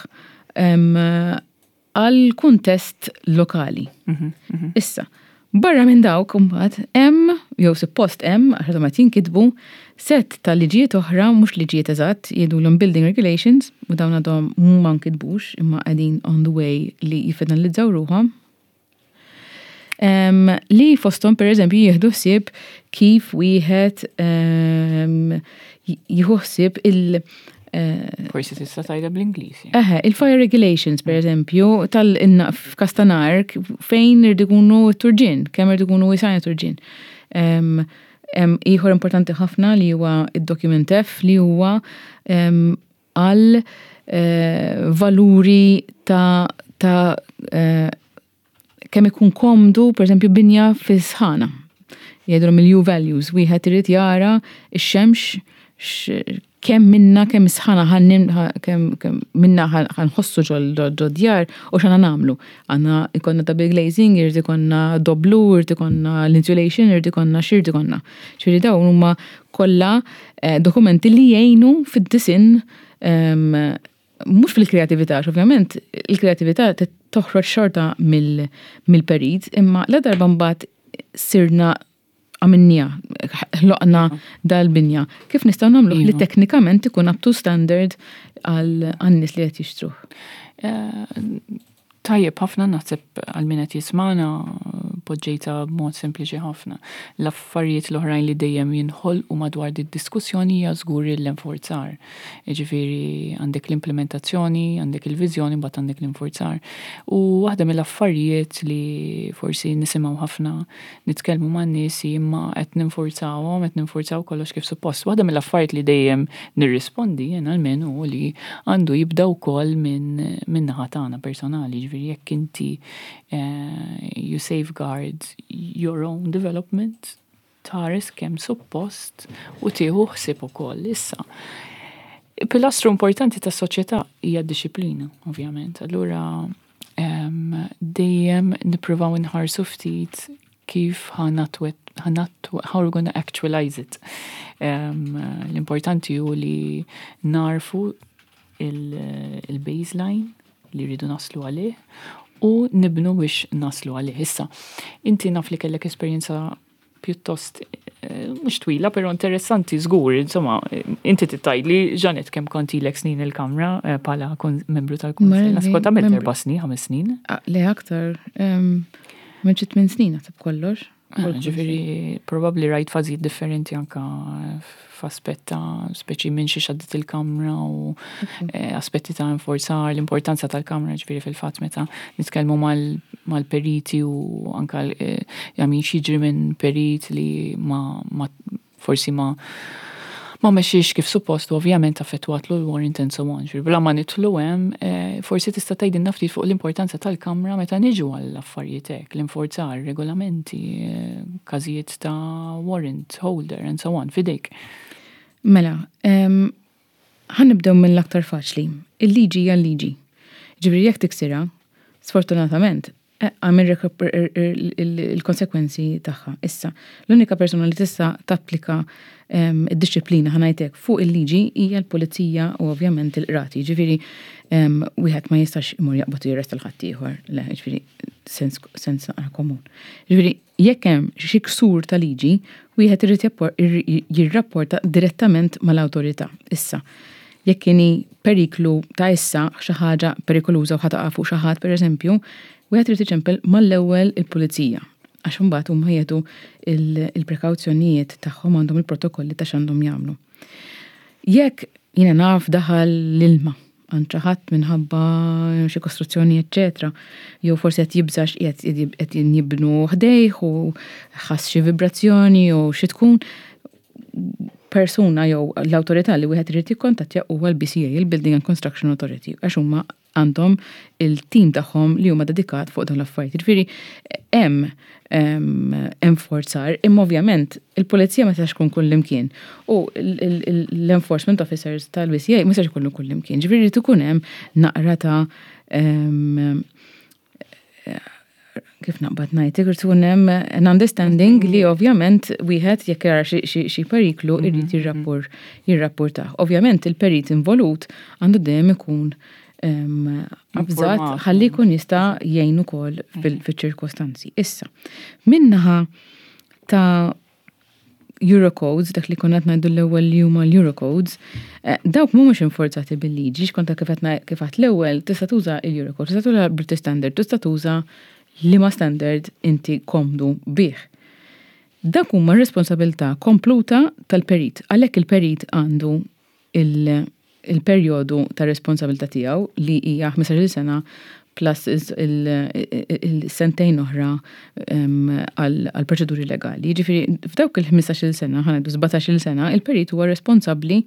għal kuntest lokali. Mhm, mhm. Issa, barra minn dawk mbagħad hemm, jew suppost hemm, għax ma jinkitbu, set ta' liġijiet oħra, mhux liġijiet eżatt, jgħidulhom building regulations, u dawn għadhom ma nkitbux, imma qegħdin on the way li jiffinalizzaw ruħhom. Um, li fosthom, per eżempju, jieħdu ħsieb kif wieħed um, jieħu ħsieb il- Eh, Forsi tista' tgħidha bl-Ingliż. Eħe, il-fire regulations, per eżempju, tal-inna f'każ ta' nar fejn irid ikunu turġien, kemm irid ikunu wisgħin turġien. Ieħor importanti ħafna li huwa id-document F, li huwa għal eh, valuri ta' ta' eh, kemm ikun komdu, per eżempju, binja fi sħana. Jgħidulhom il-U values, wieħed irid jara x-xemx kemm minna, kemm sħana, kemm minna ħa nħossu ġo djar u x'għandna nagħmlu. Għandna jkollna double glazing, irid ikollna doblu, irid ikollna l-insulation, irid ikollna x'irid ikollna. Ġifieri dawn huma kollha eh, dokumenti li jgħinu fid-disinn, mhux fil-kreatività, ovvjament il-kreatività toħroġ xorta mill-perit, imma la darba mbagħad sirna għamilnieha, ħloqna dal-binja. Kif nistgħu nagħmlu li iva. teknikament ikun up to standard għal nies li qed jixtruh? Eh, tajjeb ħafna, naħseb għal min qed jismana poġġejta b'mod sempliċi ħafna. L-affarijiet l-oħrajn li dejjem jinħolqu madwar di diskussjoni hija żgur l-enforzar. Jiġifieri għandek l-implementazzjoni, għandek il-viżjoni, mbagħad għandek l-enforzar. U waħda mill-affarijiet li forsi nisimgħu ħafna nitkellmu man-nies, imma qed ninforzawhom, qed ninforzaw kollox kif suppost. Waħda mill-affarijiet li dejjem nirrispondi jien almenu li għandu jibda wkoll minn min naħa tagħna personali, ġifieri jekk inti uh, you safeguard your own development, tħares kemm suppost u tieħu ħsieb ukoll. Issa, pilastru importanti tas soċjetà hija d-disciplina, ovvjament. Allura um, dejjem nippruvaw nħarsu ftit kif ħa how we're gonna actualize it. Um, L-importanti hu li narfu il-baseline li rridu naslu għalih u nibnu biex naslu għalih. Issa, inti naf li kellek esperjenza pjuttost eh, mhux twila, però interessanti żgur, insomma, inti tgħidli, Janet, kemm kont ilek snin il-Kamra eh, bħala membru tal-Kunsill? Naħseb kont għamilt erba' snin, ħames snin. Ah, le, aktar, minn xi tmien snin naħseb kollox. Ah, ġifieri, probabli rajt fażijiet differenti anka f'aspett ta' speċi minn xi għaddiet il-Kamra u eh, aspetti ta' enforzar, l-importanza tal-Kamra, ġifieri fil-fatt meta nitkellmu mal-periti u anka eh, jamin x'jiġri minn perit li ma, ma forsi ma ma mexiex kif suppost u ovvjament affettwat l-warrant and so on. Bla ma nidħlu hemm, eh, forsi tista' tgħidilna ftit fuq l-importanza tal-Kamra meta niġu għall-affarijiet hekk, l-inforzar, regolamenti, eh, każijiet ta' warrant holder and so on, fidejk. Mela, ħa nibdew mill-aktar faċli. Il-liġi hija l-liġi. Ġifieri jekk tiksirha, sfortunatament, għamil il-konsekwenzi tagħha. Issa, l-unika persona li tista' tapplika id-disciplina, ħa ngħidlek, fuq il-liġi hija l-pulizija u ovvjament il-qrati. Ġifieri wieħed ma jistax imur jaqbad jirresta 'l ħaddieħor, le, ġifieri sens sens naqra komun. Ġifieri jekk hemm xi ksur ta' liġi, wieħed irid jirrapporta direttament mal-awtorità. Issa, jekk inhi periklu ta' issa, xi ħaġa perikoluża u ħa taqa' fuq xi ħadd, pereżempju, wieħed irid iċempel mal-ewwel il-pulizija. Għax imbagħad huma jieħdu il-prekawzjonijiet tagħhom, għandhom il-protokolli ta' x'għandhom jagħmlu. Jekk, jiena naf, daħal l-ilma għand xi ħadd minħabba xi kostruzzjoni, eċċetera, jew forsi qed jibżax qed jibnu ħdejh u ħass xi vibrazzjoni u xi tkun, Persuna jew l-awtorità li wieħed irid jikkontattja huwa l-B C A, il-Building and Construction Authority, għax huma għandhom il-tim tagħhom li huma dedikat fuq dawn l-affarijiet. Ġifieri hemm enforzar, imma ovvjament il-pulizija ma tistax tkun kullimkien u l-enforcement officers tal-B C A ma tistax ikunu kullimkien. Ġifieri ikun hemm naqra ta' kif naqbad ngħid, irid ikun hemm an understanding li ovvjament wieħed jekk jara xi periklu irid mhm, jirrappur jirrapportah. Ovvjament il-perit involut għandu dejjem ikun avżat ħalli jkun jista' jgħin ukoll fil-ċirkostanzi. Issa, min-naħa ta' Eurocodes, dak li konna ngħidu l-ewwel li huma l-Eurocodes, eh, dawk mhumiex inforzati bil-liġi, xkonta kif għedt l-ewwel tista' tuża l-Eurocode, tista' tuża British Standard, tista' tuża liema standard inti komdu bih. Dak huma responsabilità kompluta tal-perit. Għalhekk il-perit għandu il-perjodu ta' responsabilità tiegħu li hija ħmistax-il sena plus il-sentejn oħra għal proċeduri legali. Ġifieri f'dawk il-ħmistax-il sena, ħa ngħidu sbatax-il sena, il-perit huwa responsabbli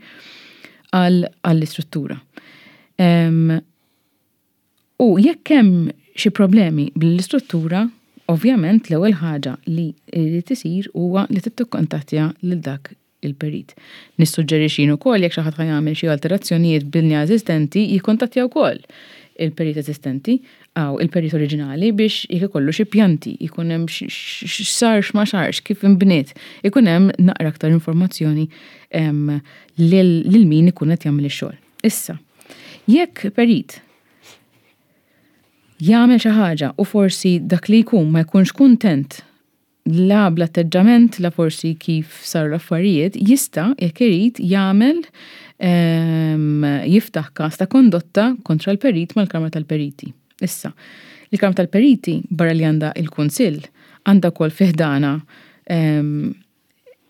għall-istruttura. U jekk hemm xi problemi bl-istruttura, ovvjament l-ewwel ħaġa li jrid isir huwa li tikkontattja lil dak il-perit. Nissuġġerixxi ukoll jekk xi ħadd jagħmel xi alterazzjonijiet binja eżistenti, jikkontattja wkoll il-perit eżistenti għaw il-perit oriġinali biex jekk ikollu xi pjanti, jkun hemm x'sar, x'ma sarx, kif inbniet, ikun hemm naqra aktar informazzjoni lil min ikun qed jagħmel ix-xogħol. Issa, jekk perit jagħmel xi ħaġa u forsi dak li jkun ma jkunx kuntent la bl-atteġġament la forsi kif saru l-affarijiet, jista' jekk irid jagħmel jiftaħ każ ta' kondotta kontra l-perit mal-Kamra tal-Periti. Issa, il-Kamra tal-Periti, barra li għandha il-Kunsill, għandha wkoll fi ħdanha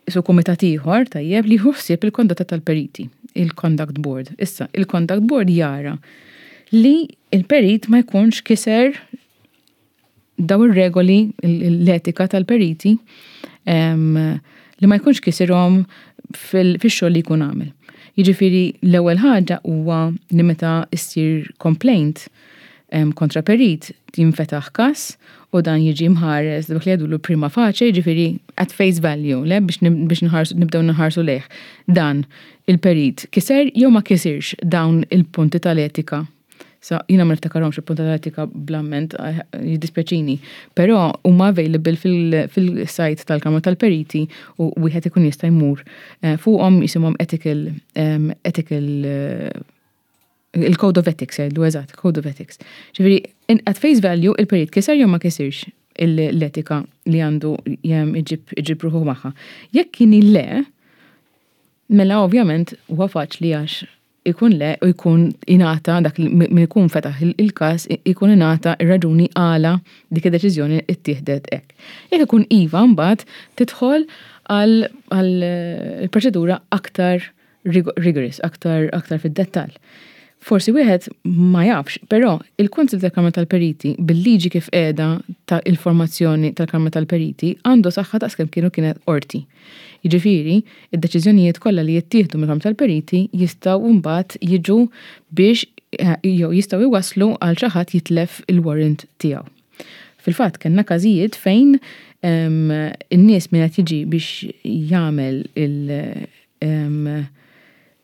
su kumitat ieħor tajjeb li ħsieb il-kondotta tal-periti, il-Conduct Board. Issa, il-Conduct Board jara li il-perit ma jkunx kiser daw ir-regoli, l-etika tal-periti, li ma jkunx kisirhom fil-xogħol li jkun għamel. Jiġifieri l-ewwel ħaġa huwa li meta issir complaint kontra perit jinfetaħ każ u dan jiġi mħares dak li jgħidulu prima facie, jiġifieri at face value, le biex biex nibdew nħarsu lejh. Dan il-perit kiser jew ma kisirx dawn il-punti tal-etika. Sa jiena ma niftakarhomx il-punti tal-etika bl-amment, eh, jiddispjaċini, però huma available fil-site tal-Kamra tal-Periti u wieħed ikun jista' jmur eh, fuqhom, jisimhom ethical ethical eh, il-Code of Ethics, jgħidu eżatt, Code of Ethics. Ġifieri, at face value, il-perit kiser jew ma kisirx l-etika li għandu jem iġib iġib ruħu magħha. Jekk kien le, mela ovvjament huwa faċli għax ikun le u jkun ingħata dak li min ikun fetaħ il-każ ikun ingħata ir-raġuni għala dik id-deċiżjoni ittieħdet hekk. Jekk ikun iva, mbagħad tidħol għal proċedura aktar rigorous, aktar aktar fid-dettall. Forsi wieħed ma jafx, però il-Kunsil tal-Kamra tal-Periti, bil-liġi kif qiegħda ta' il-formazzjoni tal-Kamra tal-Periti, għandu saħħa ta' skemm kienu kienet qorti. Jiġifieri, id-deċiżjonijiet kollha li jittieħdu mill-Kamra tal-Periti jistgħu mbagħad jiġu biex eh, jew jistgħu jwaslu għal xi ħadd jitlef il-warrant tiegħu. Fil-fatt kellna każijiet fejn in-nies min qed jiġi biex jagħmel il-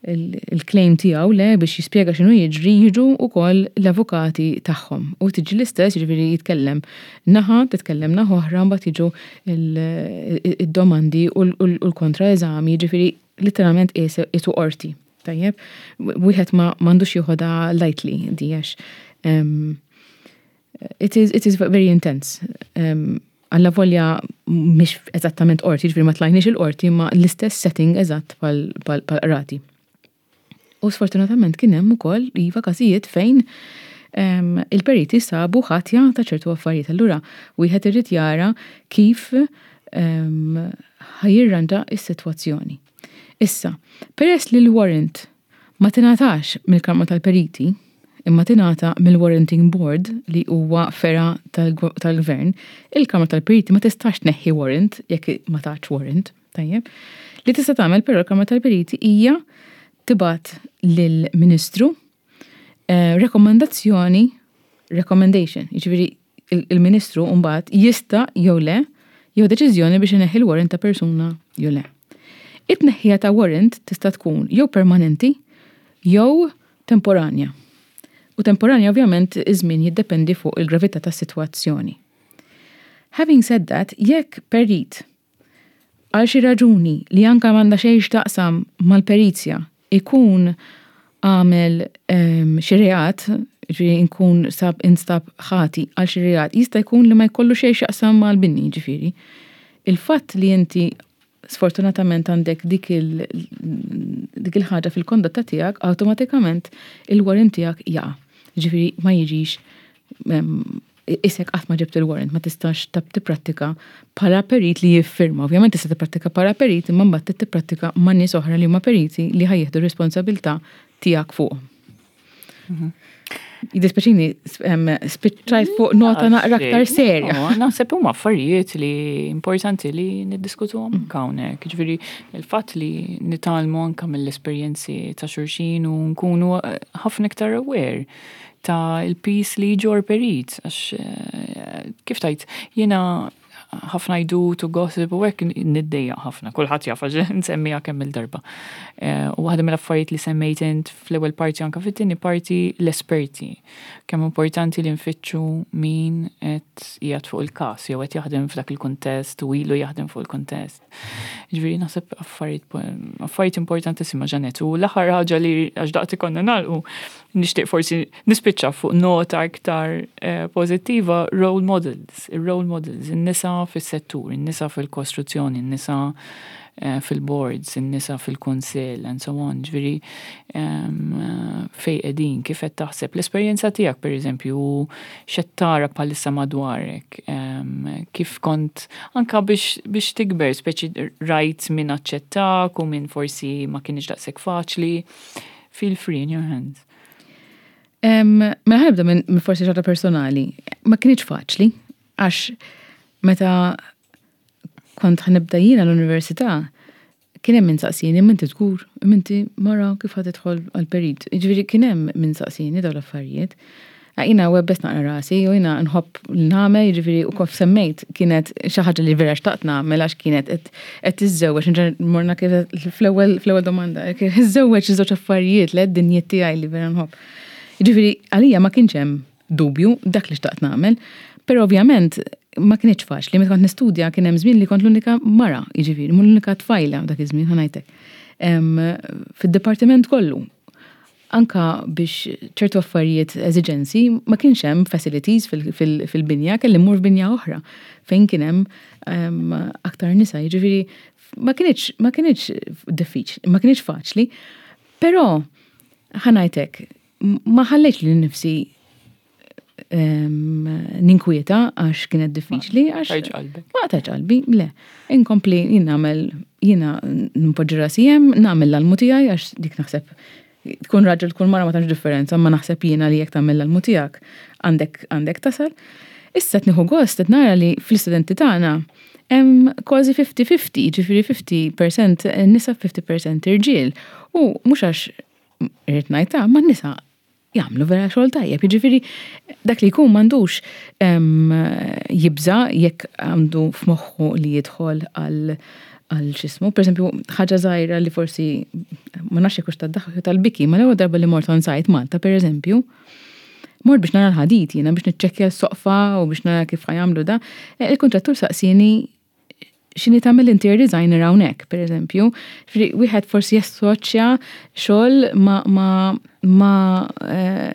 il-claim tiegħu, le biex jispjega x'inhu jiġri, jiġu wkoll l-avukati tagħhom. U tiġi l-istess, jiġifieri jitkellem naħa, titkellem naħa oħra, mbagħad jiġu id-domandi u l-kontra-eżami, jiġifieri literalment qisu qorti. Tajjeb, wieħed ma m'għandux joħodha lightly di għax it is, it is very intense. Alla volja mhix eżattament qorti, ġifieri ma tlajniex il-qorti, ma l-istess setting eżatt pal-qrati. U sfortunatament kien hemm ukoll iva każijiet fejn il-periti sabu ħatja ta' ċertu affarijiet. Allura wieħed irid jara kif ħa jirranġa is-sitwazzjoni. Issa, peress li l-warrant ma tingħatax mill-Kamra tal-Periti, imma tingħata mill-Warranting Board li huwa fergħa tal-gvern, il-Kamra tal-Periti ma tistax tneħħi warrant jekk ma tax warrant. Tajjeb. Li tista' tagħmel però l-Kamra tal-Periti hija tibgħat lill-Ministru eh, rekomendazzjoni, recommendation, jiġifieri il-Ministru mbagħad jista' jew le jew deċiżjoni biex ineħħi l-warrant ta' persuna jew le. It-tneħħija ta' warrant tista' tkun jew permanenti jew temporanja. U temporanja, ovvjament, iż-żmien jiddependi fuq il-gravità tas-sitwazzjoni. Having said that, jekk perit għal xi raġuni li anka m'għandha xejn x'taqsam mal-perizja ikun għamel um, xi reat, ġifieri nkun sab instab ħati għal xi reat, jista' jkun li ma jkollu xejn x'jaqsam mal-bini, ġifieri. Il-fatt li inti sfortunatament għandek dik il dik il-ħaġa fil-kondotta tiegħek, awtomatikament il-warrant tiegħek jaqa'. Ġifieri ma jiġix isek qatt ma ġibt il-warrant, ma tistax tab tipprattika bħala perit li jiffirma. Ovvjament tista' tipprattika bħala perit, imma mbagħad tipprattika ma' nies oħra li huma periti li ħa jieħdu responsabilità tiegħek fuq. Jiddispjaċini, spiċċajt fuq nota naqra aktar serja. Naħseb huma affarijiet li importanti li niddiskutuhom anke hawnhekk. Ġifieri il-fatt li nitgħallmu anke mill-esperjenzi ta' xulxin u nkunu eh, ħafna iktar aware ta' il-piż li jġorr perit. Għax eh, kif tajt, jiena ħafna jdu to gossip u hekk niddejjaq ħafna, kulħadd jaf għax nsemmiha kemm il-darba. Eh, u waħda mill-affarijiet li semmejt int fl-ewwel parti, anke fit-tieni parti, l-esperti. Kemm importanti li nfittxu min qed qiegħed fuq il-każ jew qed jaħdem f'dak il-kuntest u ilu jaħdem fuq il-kuntest. Ġifieri naħseb affarijiet affarijiet importantissima, Jeanette. U l-aħħar ħaġa li, għax daqt ikonna nagħlqu, nixtieq forsi nispiċċa fuq nota aktar eh, pożittiva, role models, il-role models, in-nisa fis-settur, in-nisa fil-kostruzzjoni, in-nisa eh, fil-boards, in-nisa fil-kunsill, and so on. Ġifieri fejn qegħdin, kif qed taħseb l-esperjenza tiegħek, pereżempju, x'qed tara bħalissa madwarek, kif kont anka biex, biex tikber, speċi rajt min aċċettak u min forsi ma kienx daqshekk faċli. Feel free, in your hands. Mela ħa nibda minn forsi ħaġa personali. Ma kienx faċli, għax meta kont ħa nibda jiena l-università, kien hemm min saqsini, "Inti żgur, inti mara, kif ħa tidħol għal-perit?" Ġifieri kien hemm min saqsini dawn l-affarijiet. Jiena webbest naqra rasi u jiena nħobb nagħmel, ġifieri u kif semmejt kienet xi ħaġa li vera xtaqt nagħmel għax kienet qed tiżżewweġ, morna kif fl-ewwel fl-ewwel domanda, iżżewweġ iż-żewġ affarijiet li d-dinjiet tiegħi li vera nħobb. Ġifieri għalija ma kienx hemm dubju, dak li xtaqt nagħmel, però ovvjament ma kienx faċli. Meta kont nistudja kien hemm żmien li kont l-unika mara, jiġifieri, mhux l-unika tfajla dak iż-żmien, ħa ngħidlek. Fid-dipartiment kollu. Anka biex ċertu affarijiet, eżiġenzi, ma kienx hemm facilities fil-binja, kelli mmur f'binja oħra fejn kien hemm aktar nisa, jiġifieri ma kienx ma kienx diffiċli, ma kienx faċli, però ħa ngħidlek, ma ħallejtx lili nnifsi ninkwieta għax kienet diffiċli, għax ma qtajtx qalbi, le. Inkompli jien nagħmel, jiena npoġġi rasi hemm, nagħmel l-almu tiegħi, għax dik naħseb tkun raġel tkun mara ma tantx differenza, ma naħseb jiena li jekk tagħmel l-almu tiegħek għandek għandek tasal. Issa qed nieħu gost qed nara li fl-istudenti tagħna hemm kważi fifty fifty, ġifieri fifty percent nisa, fifty percent irġiel. U mhux għax irrid ngħidha, ma n-nisa jagħmlu vera xogħol tajjeb. Jiġifieri dak li jkun m'għandux jibża jekk għandu f'moħħu li jidħol għal għal x'ismu. Per eżempju, ħaġa żgħira li forsi ma nafx jekk tad-daħk tal-biki, ma l-ewwel darba li mort on site Malta, per eżempju, mort biex nara l-ħadid jiena, biex niċċekkja s-soqfa u biex nara kif ħa jagħmlu da. E, il-kontrattur saqsini x'inhi tagħmel interior designer hawnhekk, per eżempju. Wieħed forsi jassoċja xogħol ma ma ma eh,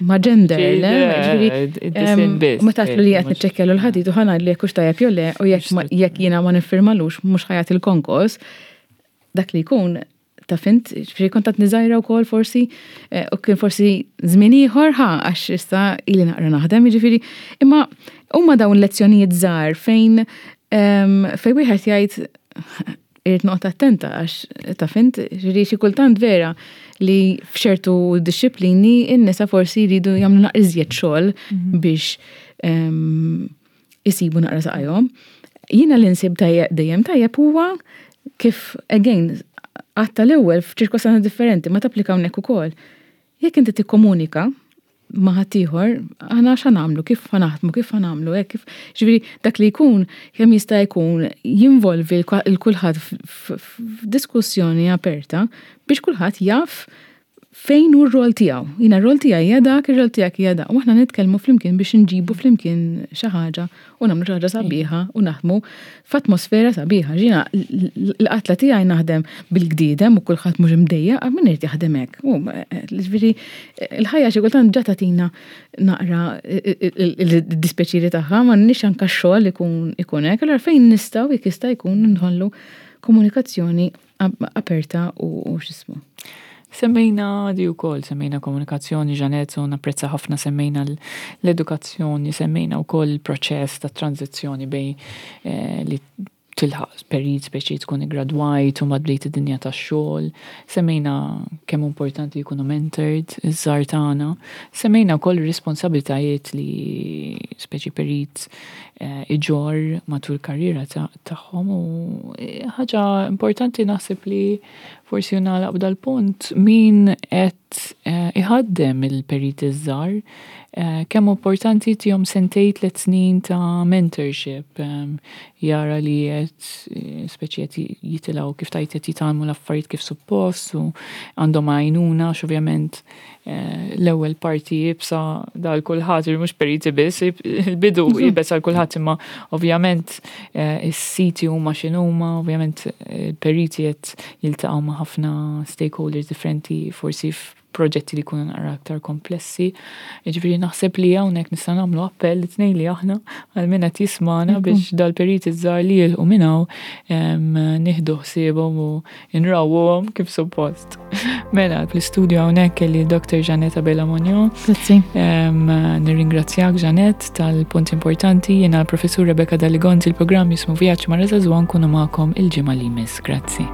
ma gender, le? Meta li qed niċċekkja l-ħadid u ħa ngħid li jekk hux tajjeb jew le u jekk jiena ma niffirmalux mhux ħa jagħti l-konkos, dak li jkun ta' fint, ġifieri kont qed niżajra wkoll forsi, eh, u kien forsi żmien ieħor ħa għax issa ili naqra naħdem, jiġifieri, imma huma dawn lezzjonijiet żgħar fejn fejn wieħed jgħid irrid noqgħod attenta għax ta' fint, ġifieri xi kultant vera li f'ċertu disċiplini in-nisa forsi jridu jagħmlu naqra iżjed xogħol mhm. biex isibu naqra saqajhom. Jiena li nsib dejjem tajjeb huwa kif, again, għatta l-ewwel f'ċirkostanzi differenti, ma tapplika hawnhekk ukoll. Jekk inti tikkomunika ma' ħaddieħor, aħna x'ħa nagħmlu, kif ħa naħdmu, kif ħa nagħmlu, hekk kif, ġifieri dak li jkun kemm jista' jkun jinvolvi l kulħadd f'diskussjoni aperta biex kulħadd jaf fejn hu r-rol tiegħu. Jiena r-rol tiegħi hija dak, ir-rol tiegħek hija dak. U aħna nitkellmu flimkien biex nġibu flimkien xi ħaġa u nagħmlu xi ħaġa sabiħa u naħdmu f'atmosfera sabiħa. Jiena l-qatla tiegħi naħdem bil-gdidem u kulħadd mhux imdejjaq, min irid jaħdem hekk. U ġifieri l-ħajja xi kultant ġa tagħtina naqra il-dispjaċiri tagħha, ma nix anke x-xogħol ikun ikun hekk, allura fejn nistgħu jekk jista' jkun nħollu komunikazzjoni aperta u x'ismu. Semmejna di wkoll, semmejna komunikazzjoni, Jeanette, u napprezza ħafna semmejna l-edukazzjoni, semmejna wkoll il-proċess ta' tranzizzjoni bejn eh, li tilħaq perit speċi tkun gradwajt u bdejt id-dinja tax-xogħol. Semmejna kemm importanti jkunu mentored iż-żgħar tagħna. Semmejna wkoll responsabilitajiet li speċi perit eh, iġorr matul karriera tagħhom u eh, ħaġa importanti naħseb li forsi nagħlaq b'dal-punt min qed eh, iħaddem il-perit iż-żgħar kemm importanti tihom sentejn tliet snin ta' mentorship, jara li qed speċi qed jitilgħu kif tajt qed jitgħallmu l-affarijiet kif suppost u għandhom għajnuna għax ovvjament l-ewwel parti iebsa għal kulħadd, mhux periti biss, il-bidu iebes għal kulħadd imma ovvjament is-siti huma x'inhuma, ovvjament il-periti qed jiltaqgħu ma' ħafna stakeholders differenti forsi proġetti li jkunu naqra aktar komplessi. Ġifieri naħseb li hawnhekk nista' nagħmlu appell li tnejn li aħna għal min qed jismana biex dal-periti żgħar li jilħqu minn hawn nieħdu ħsiebhom u nrawwhom kif suppost. Mela, fl-istudio hawnhekk kelli Dr. Jeanette Abela Monio. Grazzi. Nirringrazzjak Jeanette tal-punt importanti, jiena l-Professur Rebecca Dalli Gonzi il-programm jismu Vjaġġ Mara Żagħżugħa nkunu magħkom il-ġimgħa li jmiss. Grazzi.